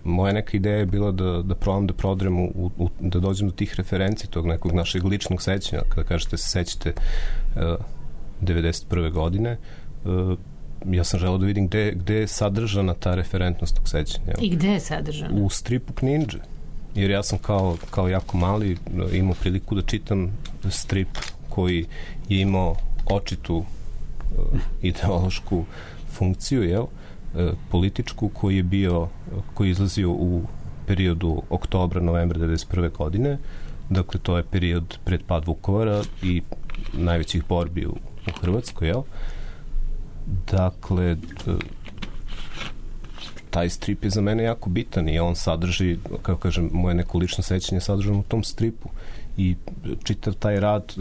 moja neka ideja je bila da, da probam da prodrem u, u, da dođem do tih referenci tog nekog našeg ličnog sećanja, kada kažete se sećate uh, devedeset prve godine, uh, ja sam želeo da vidim gde, gde je sadržana ta referentnost tog sećanja. I gde je sadržana? U stripu Knindže. Jer ja sam kao, kao jako mali imao priliku da čitam strip koji je imao očitu uh, ideološku funkciju, jel? Političku, koji je bio, koji je izlazio u periodu oktobra, novembra devedeset prve godine. Dakle, to je period pred pad Vukovara i najvećih borbi u, u Hrvatskoj, jel? Dakle, taj strip je za mene jako bitan i on sadrži, kako kažem, moje neko lično sećanje sadržano u tom stripu i čitav taj rad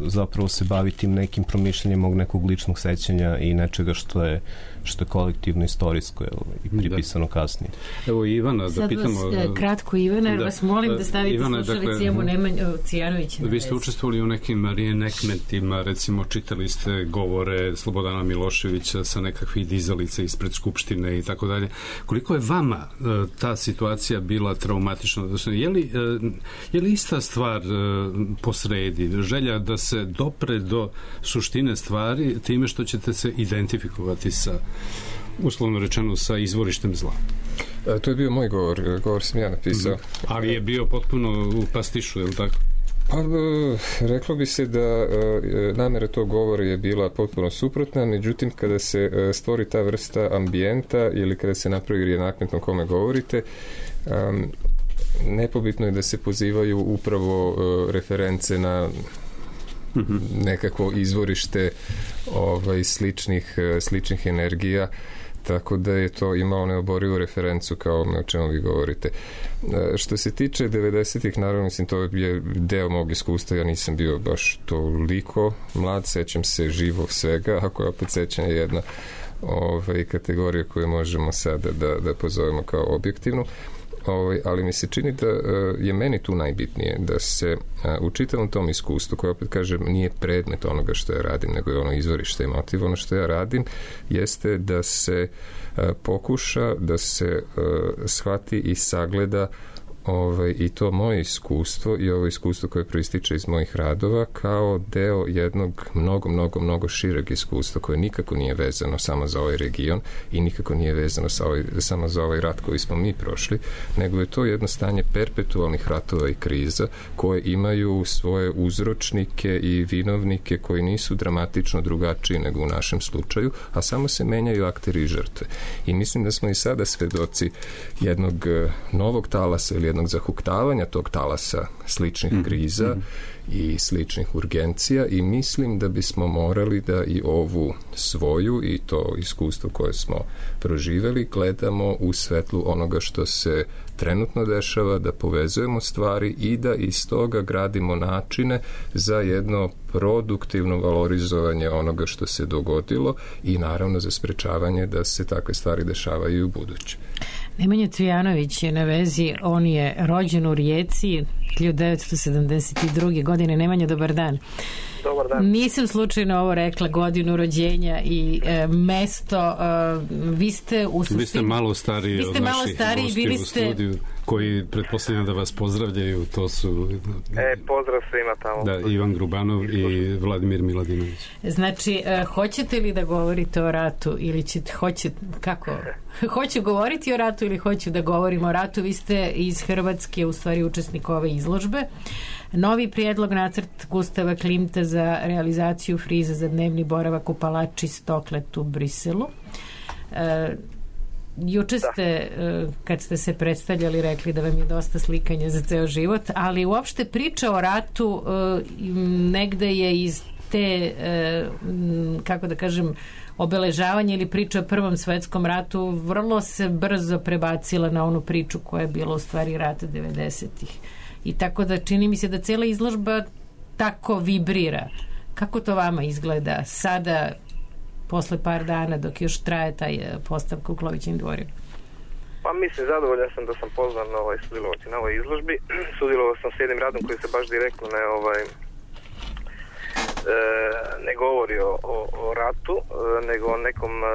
zapravo se bavi tim nekim promišljanjem mog nekog ličnog sećanja i nečega što je što je kolektivno istorijsko i pripisano da. kasnije. Evo Ivana, da sad pitamo... Sad vas kratko, Ivana, jer da. vas molim da stavite Ivana, slušalici dakle, Jemu Nemanju Cijanovića. Vi ste učestvovali u nekim reenactmentima, recimo čitali ste govore Slobodana Miloševića sa nekakvih dizalica ispred Skupštine i tako dalje. Koliko je vama ta situacija bila traumatična? Je li, je li ista stvar posredi? Želja da se dopre do suštine stvari time što ćete se identifikovati sa, uslovno rečeno, sa izvorištem zla? A, to je bio moj govor, govor sam ja napisao. Mm-hmm. Ali je bio potpuno u pastišu, je li tako? Pa, reklo bi se da namera tog govora je bila potpuno suprotna, međutim, kada se stvori ta vrsta ambijenta ili kada se napravi reenactment o kome govorite, um, nepobitno je da se pozivaju upravo uh, reference na nekako izvorište ovaj, sličnih, sličnih energija, tako da je to imalo neoborivu referencu kao o čemu vi govorite. Što se tiče devedesetih, naravno, mislim, to je deo mog iskustva, ja nisam bio baš toliko mlad, sećam se živo svega, ako je opet sećanje jedna ovaj, kategorija koju možemo sada da, da pozovemo kao objektivnu. Ovaj, ali mi se čini da je meni tu najbitnije da se u čitavom tom iskustvu, koje opet kažem nije predmet onoga što ja radim, nego je ono izvorište i motiv. Ono što ja radim jeste da se pokuša da se shvati i sagleda ovaj, i to moje iskustvo i ovo iskustvo koje proističe iz mojih radova kao deo jednog mnogo, mnogo, mnogo šireg iskustva koje nikako nije vezano samo za ovaj region i nikako nije vezano sa ovaj, samo za ovaj rat koji smo mi prošli, nego je to jedno stanje perpetualnih ratova i kriza koje imaju svoje uzročnike i vinovnike koji nisu dramatično drugačiji nego u našem slučaju, a samo se menjaju akteri i žrtve. I mislim da smo i sada svedoci jednog novog talasa ili jednog zahuktavanja tog talasa sličnih kriza mm-hmm. i sličnih urgencija i mislim da bismo morali da i ovu svoju i to iskustvo koje smo proživeli gledamo u svetlu onoga što se trenutno dešava, da povezujemo stvari i da iz toga gradimo načine za jedno produktivno valorizovanje onoga što se dogodilo i naravno za sprečavanje da se takve stvari dešavaju i u buduće. Nemanja Cvijanović je na vezi, on je rođen u Rijeci hiljadu devetsto sedamdeset druge. godine. Nemanja, dobar dan. Dobar dan. Nisam slučajno ovo rekla, godinu rođenja i e, mesto. E, vi ste u suštini... Vi ste malo stariji vi ste od malo naših stariji, gosti bili u ste... studiju, koji pretpostavljam da vas pozdravljaju. To su... E, pozdrav svima tamo. Da, Ivan Grubanov i Vladimir Miladinović. Znači, e, hoćete li da govorite o ratu ili ćete, hoćete, kako? Hoću govoriti o ratu ili hoću da govorim o ratu? Vi ste iz Hrvatske, u stvari učesnik ove izložbe. Novi prijedlog nacrt Gustava Klimta za realizaciju friza za dnevni boravak u palači Stoklet u Briselu. E, juče ste, e, kad ste se predstavljali, rekli da vam je dosta slikanja za ceo život, ali uopšte priča o ratu e, negde je iz te, e, kako da kažem, obeležavanje ili priča o Prvom svetskom ratu vrlo se brzo prebacila na onu priču koja je bila u stvari rat devedesetih. I tako da čini mi se da cela izložba tako vibrira. Kako to vama izgleda sada, posle par dana, dok još traje taj postavka u Klovićevim dvorima? Pa mislim, zadovoljan sam da sam pozvan na ovaj, sudjelovati na ovoj izložbi. Sudjelovao sam s jednim radom koji se baš direktno ne, ovaj, e, ne govori o, o, o ratu, e, nego o nekom e,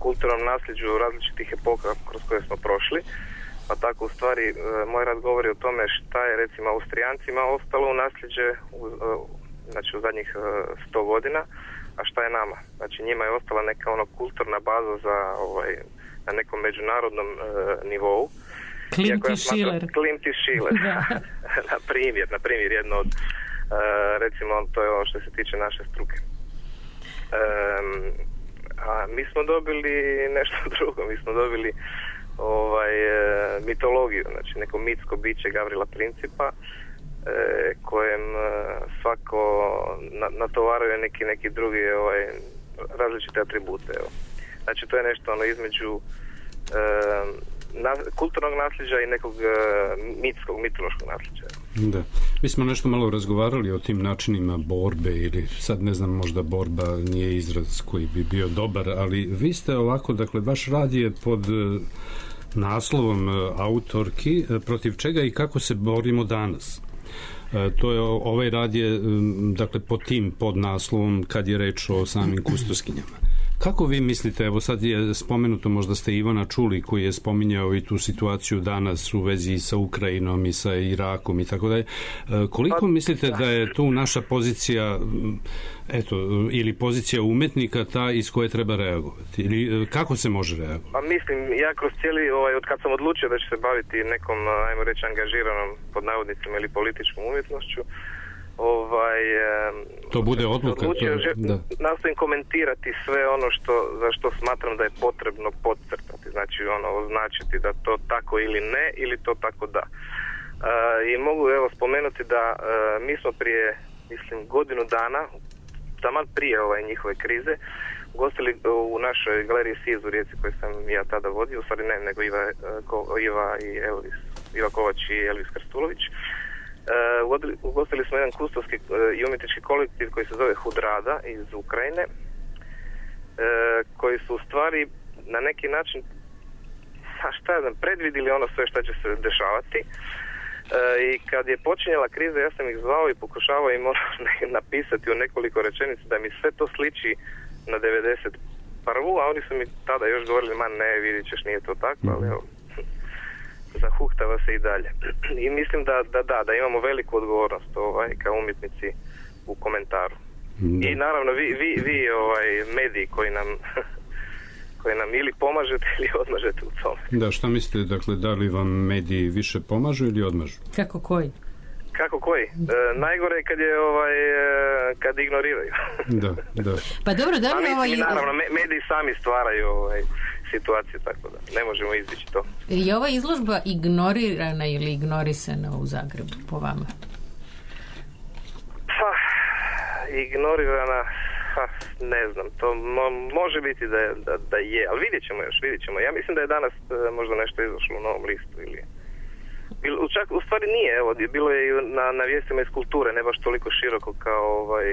kulturnom nasljeđu različitih epoka kroz koje smo prošli. Pa tako u stvari e, moj rad govori o tome šta je recimo Austrijancima ostalo u nasljeđe u, e, znači u zadnjih e, sto godina, a šta je nama. Znači njima je ostala neka ono kulturna baza za ovaj, na nekom međunarodnom e, nivou. Klimt i Schiller. Klimt i Schiller. na primjer, na primjer jedno od e, recimo to je ono što se tiče naše struke. E, a mi smo dobili nešto drugo, mi smo dobili ovaj e, mitologiju, znači neko mitsko biće Gavrila Principa e, kojem e, svako na, natovaruje neki neki drugi ovaj različite atribute. Evo. Znači to je nešto ono između e, na, kulturnog nasljeđa i nekog e, mitskog, mitološkog nasljeđa. Da. Mi smo nešto malo razgovarali o tim načinima borbe ili sad ne znam, možda borba nije izraz koji bi bio dobar, ali vi ste ovako, dakle, vaš rad je pod naslovom autorki protiv čega i kako se borimo danas. To je, ovaj rad je, dakle, pod tim pod naslovom kad je reč o samim kustoskinjama. Kako vi mislite, evo sad je spomenuto, možda ste Ivana čuli koji je spominjao i tu situaciju danas u vezi sa Ukrajinom i sa Irakom i tako dalje. Koliko mislite da je tu naša pozicija, eto, ili pozicija umetnika ta iz koje treba reagovati? Ili kako se može reagovati? Pa mislim, ja kroz cijeli, ovaj, od kad sam odlučio da ću se baviti nekom, ajmo reći, angažiranom pod navodnicima ili političkom umjetnošću, ovaj to bude odluka, odlučio, to, da. Nastojim komentirati sve ono što, za što smatram da je potrebno podcrtati, znači ono označiti da to tako ili ne ili to tako da. Uh, i mogu evo spomenuti da uh, mi smo prije, mislim, godinu dana, taman prije ovaj njihove krize, gostili u našoj galeriji Siz u Rijeci koju sam ja tada vodio, u stvari ne, nego Iva, uh, Iva i Elvis, Iva Kovač i Elvis Krstulović. Uh, ugostili smo jedan kustovski uh, i umjetnički kolektiv koji se zove Hudrada iz Ukrajine, uh, koji su u stvari na neki način, a šta ja znam, predvidili ono sve što će se dešavati. Uh, i kad je počinjala kriza, ja sam ih zvao i pokušavao im ono napisati u nekoliko rečenica da mi sve to sliči na devedeset prvu, a oni su mi tada još govorili, ma ne, vidit ćeš, nije to tako, ali evo, zahuhtava se i dalje. I mislim da, da, da, da imamo veliku odgovornost ovaj, kao umjetnici u komentaru. Da. I naravno vi, vi, vi ovaj, mediji koji nam koji nam ili pomažete ili odmažete u tome. Da, šta mislite, dakle, da li vam mediji više pomažu ili odmažu? Kako koji? Kako koji? E, najgore je kad je ovaj, kad ignoriraju. Da, da. Pa dobro, da li ovaj... Naravno, mediji sami stvaraju ovaj, situaciju, tako da ne možemo izbići to. Je ova izložba ignorirana ili ignorisana u Zagrebu, po vama? ignorirana, ha, ne znam, to mo, može biti da, da, da je, ali vidjet ćemo još, vidjet ćemo. Ja mislim da je danas možda nešto izašlo u Novom listu ili... Čak, u stvari nije, evo, bilo je na, na vijestima iz kulture, ne baš toliko široko kao ovaj,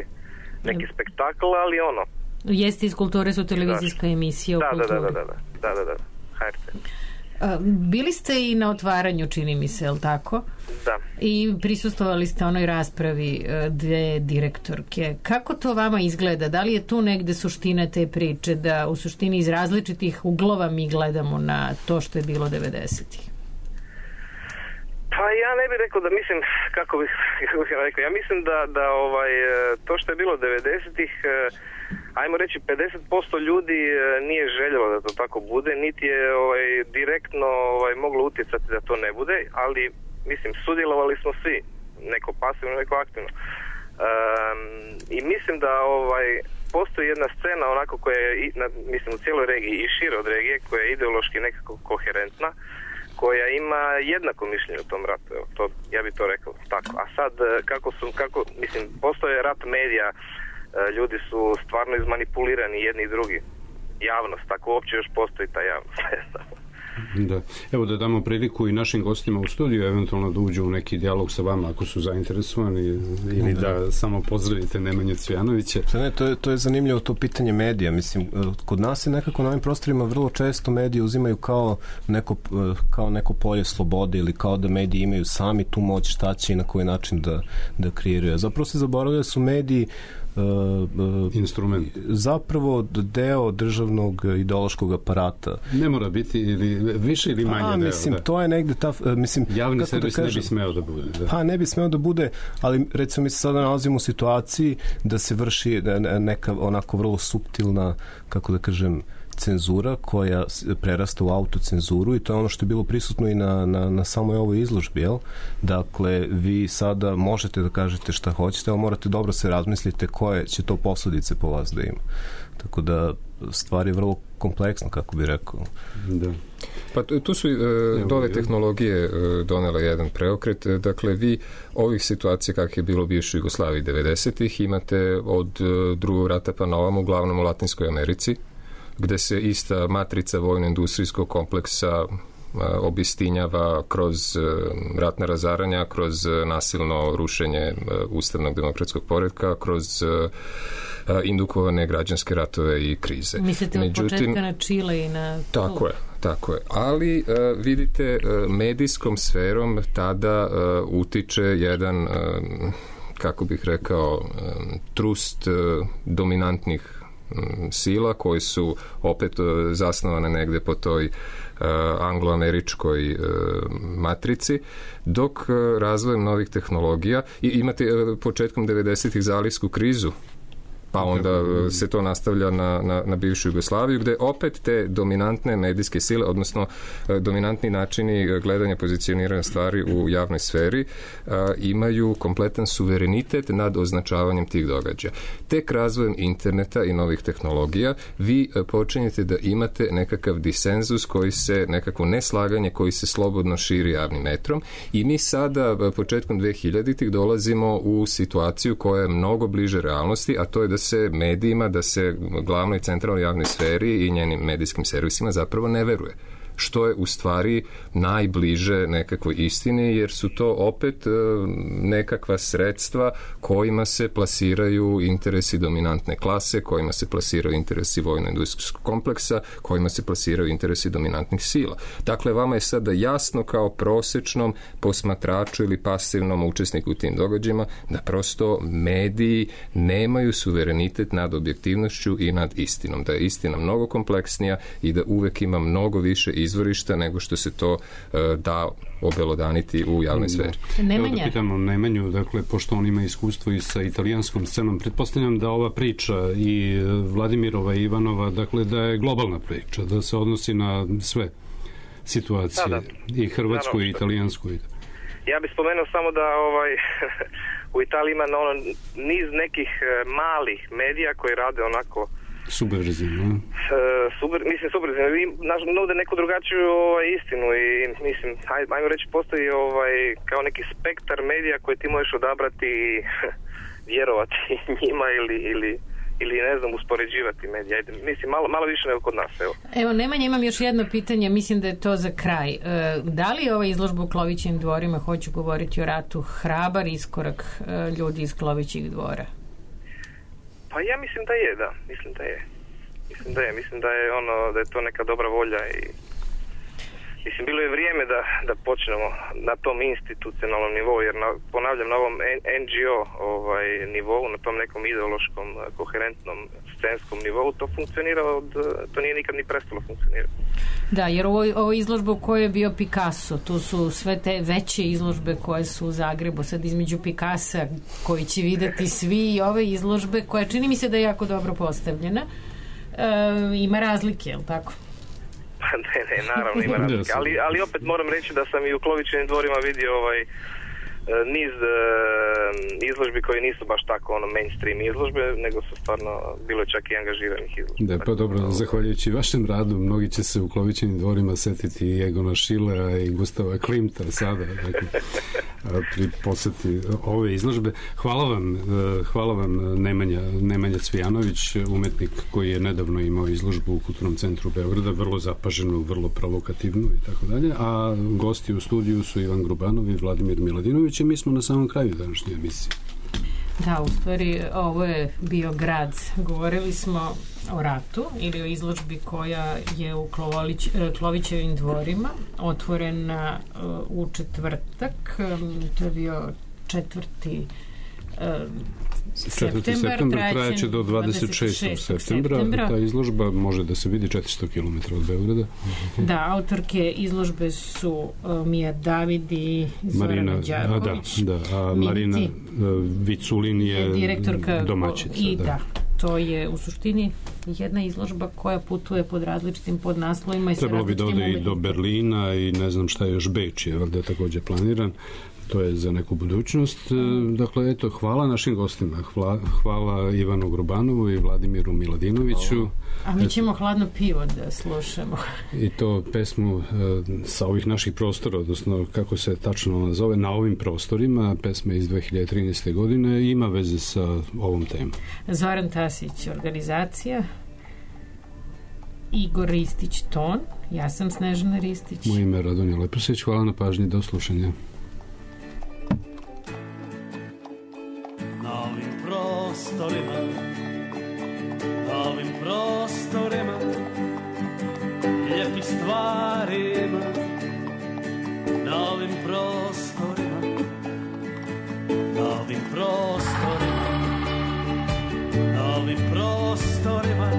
neki spektakl, ali ono. Vijesti iz kulture su televizijska emisija o da, kulturi. Da, da, da, da, da, da, da, H R T. Bili ste i na otvaranju, čini mi se, je li tako? Da. I prisustvovali ste onoj raspravi dve direktorke. Kako to vama izgleda? Da li je tu negde suština te priče, da u suštini iz različitih uglova mi gledamo na to što je bilo devedesetih? Pa ja ne bih rekao da mislim, kako bih, kako bih rekao, ja mislim da, da ovaj, to što je bilo devedesetih, ajmo reći pedeset posto ljudi nije željelo da to tako bude, niti je ovaj, direktno ovaj, moglo utjecati da to ne bude, ali mislim, sudjelovali smo svi, neko pasivno, neko aktivno. Um, I mislim da ovaj, postoji jedna scena onako koja je, mislim, u cijeloj regiji i šire od regije, koja je ideološki nekako koherentna, koja ima jednako mišljenje u tom ratu, evo, to, ja bih to rekao tako. A sad, kako su, kako, mislim, postoje rat medija, ljudi su stvarno izmanipulirani jedni i drugi. Javnost, tako uopće još postoji ta javnost. Da. Evo da damo priliku i našim gostima u studiju, eventualno da uđu u neki dijalog sa vama ako su zainteresovani, ili da, da samo pozdravite Nemanju Cvijanovića. Ne, to je, to je zanimljivo to pitanje medija. Mislim, kod nas je nekako na ovim prostorima vrlo često mediji uzimaju kao neko, kao neko polje slobode ili kao da mediji imaju sami tu moć šta će i na koji način da, da kreiraju. Zapravo se zaboravljaju su mediji Uh, uh, instrument. Zapravo deo državnog ideološkog aparata. Ne mora biti ili više ili manje. A, deo, mislim, da. To je negde ta, mislim, javni servis da ne bi smeo da bude. Da. Pa ne bi smeo da bude, ali recimo mi se sada nalazimo u situaciji da se vrši neka onako vrlo suptilna, kako da kažem, cenzura koja prerasta u autocenzuru i to je ono što je bilo prisutno i na, na, na samoj ovoj izložbi, jel? Dakle, vi sada možete da kažete šta hoćete, ali morate dobro se razmislite koje će to posledice po vas da ima. Tako da stvar je vrlo kompleksna, kako bi rekao. Da. Pa tu su uh, nove tehnologije uh, donele jedan preokret. Dakle, vi ovih situacija kakve je bilo u bivšoj Jugoslaviji devedesetih imate od uh, drugog rata pa na ovom, uglavnom u Latinskoj Americi, gde se ista matrica vojno-industrijskog kompleksa obistinjava kroz ratna razaranja, kroz nasilno rušenje ustavnog demokratskog poretka, kroz indukovane građanske ratove i krize. Mislite od Međutim, početka na Čile i na... Tako je, tako je. Ali vidite, medijskom sferom tada utiče jedan, kako bih rekao, trust dominantnih sila koji su opet zasnovane negde po toj uh, angloameričkoj uh, matrici, dok uh, razvojem novih tehnologija i imate uh, početkom devedesetih zalivsku krizu, pa onda uh, se to nastavlja na, na, na bivšu Jugoslaviju, gde opet te dominantne medijske sile, odnosno uh, dominantni načini gledanja, pozicioniranja stvari u javnoj sferi uh, imaju kompletan suverenitet nad označavanjem tih događaja. Tek razvojem interneta i novih tehnologija vi uh, počinjete da imate nekakav disenzus koji se, nekakvo neslaganje koji se slobodno širi javnim metrom i mi sada uh, početkom dvehiljaditih dolazimo u situaciju koja je mnogo bliže realnosti, a to je da se medijima, da se glavnoj centralnoj javnoj sferi i njenim medijskim servisima zapravo ne veruje. Što je u stvari najbliže nekakvoj istini, jer su to opet e, nekakva sredstva kojima se plasiraju interesi dominantne klase, kojima se plasiraju interesi vojno-industrijskog kompleksa, kojima se plasiraju interesi dominantnih sila. Dakle, vama je sada jasno kao prosečnom posmatraču ili pasivnom učesniku u tim događajima da prosto mediji nemaju suverenitet nad objektivnošću i nad istinom. Da je istina mnogo kompleksnija i da uvek ima mnogo više izvorišta nego što se to uh, da obelodaniti u javnoj sferi. Nemanja. Evo da pitamo Nemanju, dakle, pošto on ima iskustvo i sa italijanskom scenom, pretpostavljam da ova priča i Vladimirova i Ivanova, dakle, da je globalna priča, da se odnosi na sve situacije, da, da. I hrvatsku da, i italijansku. Ja bih spomenuo samo da ovaj, u Italiji ima ono, niz nekih malih medija koji rade onako subverzivno. Uh, super, mislim subverzivno. Nude neku drugačiju ovaj, istinu i mislim, aj, ajmo reći, postoji ovaj, kao neki spektar medija koje ti možeš odabrati vjerovati njima ili, ili, ili ne znam, uspoređivati medije. Ajde, mislim, malo, malo više nego kod nas. Evo, evo Nemanja, imam još jedno pitanje, mislim da je to za kraj. E, da li je ova izložba u Klovićim dvorima, hoću govoriti o ratu, hrabar iskorak e, ljudi iz Klovićih dvora? Pa ja mislim da je, da. Mislim da je. Mislim da je. Mislim da je ono, da je to neka dobra volja i mislim, bilo je vrijeme da, da počnemo na tom institucionalnom nivou, jer na, ponavljam, na ovom en dži o ovaj, nivou, na tom nekom ideološkom, koherentnom, scenskom nivou, to funkcionira od, to nije nikad ni prestalo funkcionirati. Da, jer ovo, ovo izložba u kojoj je bio Picasso, tu su sve te veće izložbe koje su u Zagrebu, sad između Picassa koji će videti svi i ove izložbe koja čini mi se da je jako dobro postavljena, e, ima razlike, je li tako? ne, ne, naravno ima razlika, ali, ali opet moram reći da sam i u Klovićevim dvorima vidio ovaj niz uh, izložbi koji nisu baš tako ono mainstream izložbe, nego su stvarno bilo čak i angažiranih izložbi. Da, pa dobro, no, zahvaljujući vašem radu mnogi će se u Klovićevim dvorima setiti i Egona Schillera i Gustava Klimta sada, dakle, pri poseti ove izložbe. Hvala vam, hvala vam Nemanja, Nemanja Cvijanović, umetnik koji je nedavno imao izložbu u Kulturnom centru Beograda, vrlo zapaženu, vrlo provokativnu i tako dalje, a gosti u studiju su Ivan Grubanov i Vladimir Miladinović. Mi smo na samom kraju današnje emisije. Da, u stvari ovo je bio grad. Govorili smo o ratu ili o izložbi koja je u Klovolić, Klovićevim dvorima, otvorena u četvrtak. To je bio četvrti septembar, trajaće do dvadeset šestog septembra. septembra. Ta izložba može da se vidi četiristo kilometara od Beograda. Da, autorke izložbe su uh, Mija David i Zorana Đaković. Da, da, a Marina uh, Viculin je, je direktorka domaćica. I da. da, to je u suštini jedna izložba koja putuje pod različitim podnaslovima i sa trebalo bi da ode i do Berlina i ne znam šta je još, Beč je valjda takođe planiran. To je za neku budućnost. Dakle, eto, hvala našim gostima. Hvala, hvala Ivanu Grubanovu i Vladimiru Miladinoviću. A mi ćemo eto, hladno pivo da slušamo. I to pesmu uh, sa ovih naših prostora, odnosno kako se tačno nazove, na ovim prostorima, pesma iz dve hiljade trinaeste. godine, ima veze sa ovom temom. Zoran Tasić, organizacija. Igor Ristić, ton. Ja sam Snežana Ristić. Moje ime je Radonja Leposić. Hvala na pažnji. Do slušanja. Prostorima, na ovim prostorima, lijepih stvarima, na ovim prostorima, na ovim prostorima, na ovim prostorima,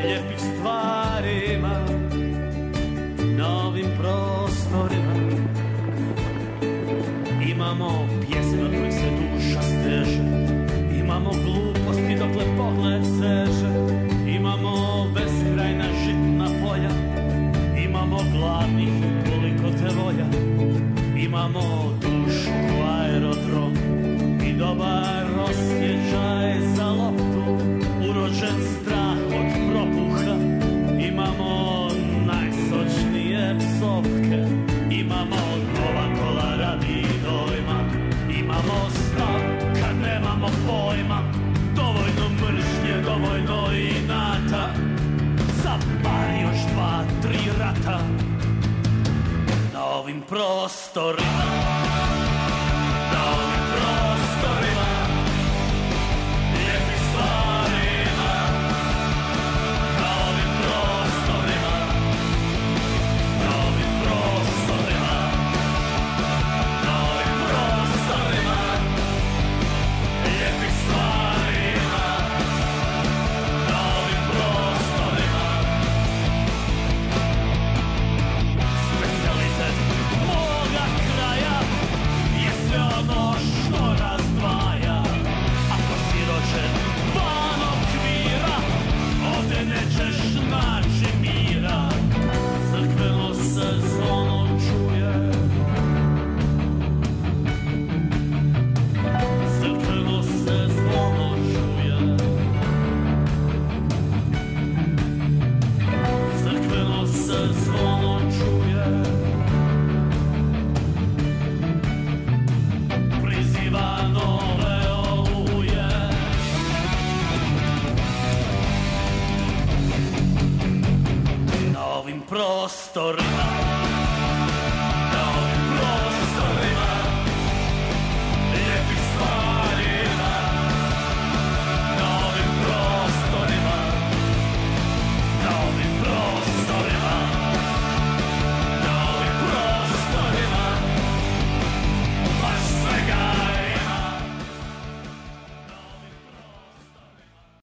lijepih stvarima, na ovim prostorima, imamo pjesma koji se duša steže, imamo gluposti dokle pogled seže, imamo beskrajna žitna polja, imamo gladnih koliko te volja, imamo dušu ko aerodrom i dobar osjećaj za loptu, urođen strah od propuha, imamo najsočnije psovke, imamo nova kola radi dojma, imamo stav kad nemamo pojma, dovoljno mržnje, dovoljno inata, za bar još dva, tri rata, na ovim prostorima, na ovim prostorima, lijepih stvarima, na ovim prostorima, na ovim prostorima, na ovim prostorima, lijepih stvarima, na ovim prostorima. Specijalitet moga kraja ovim prostorima.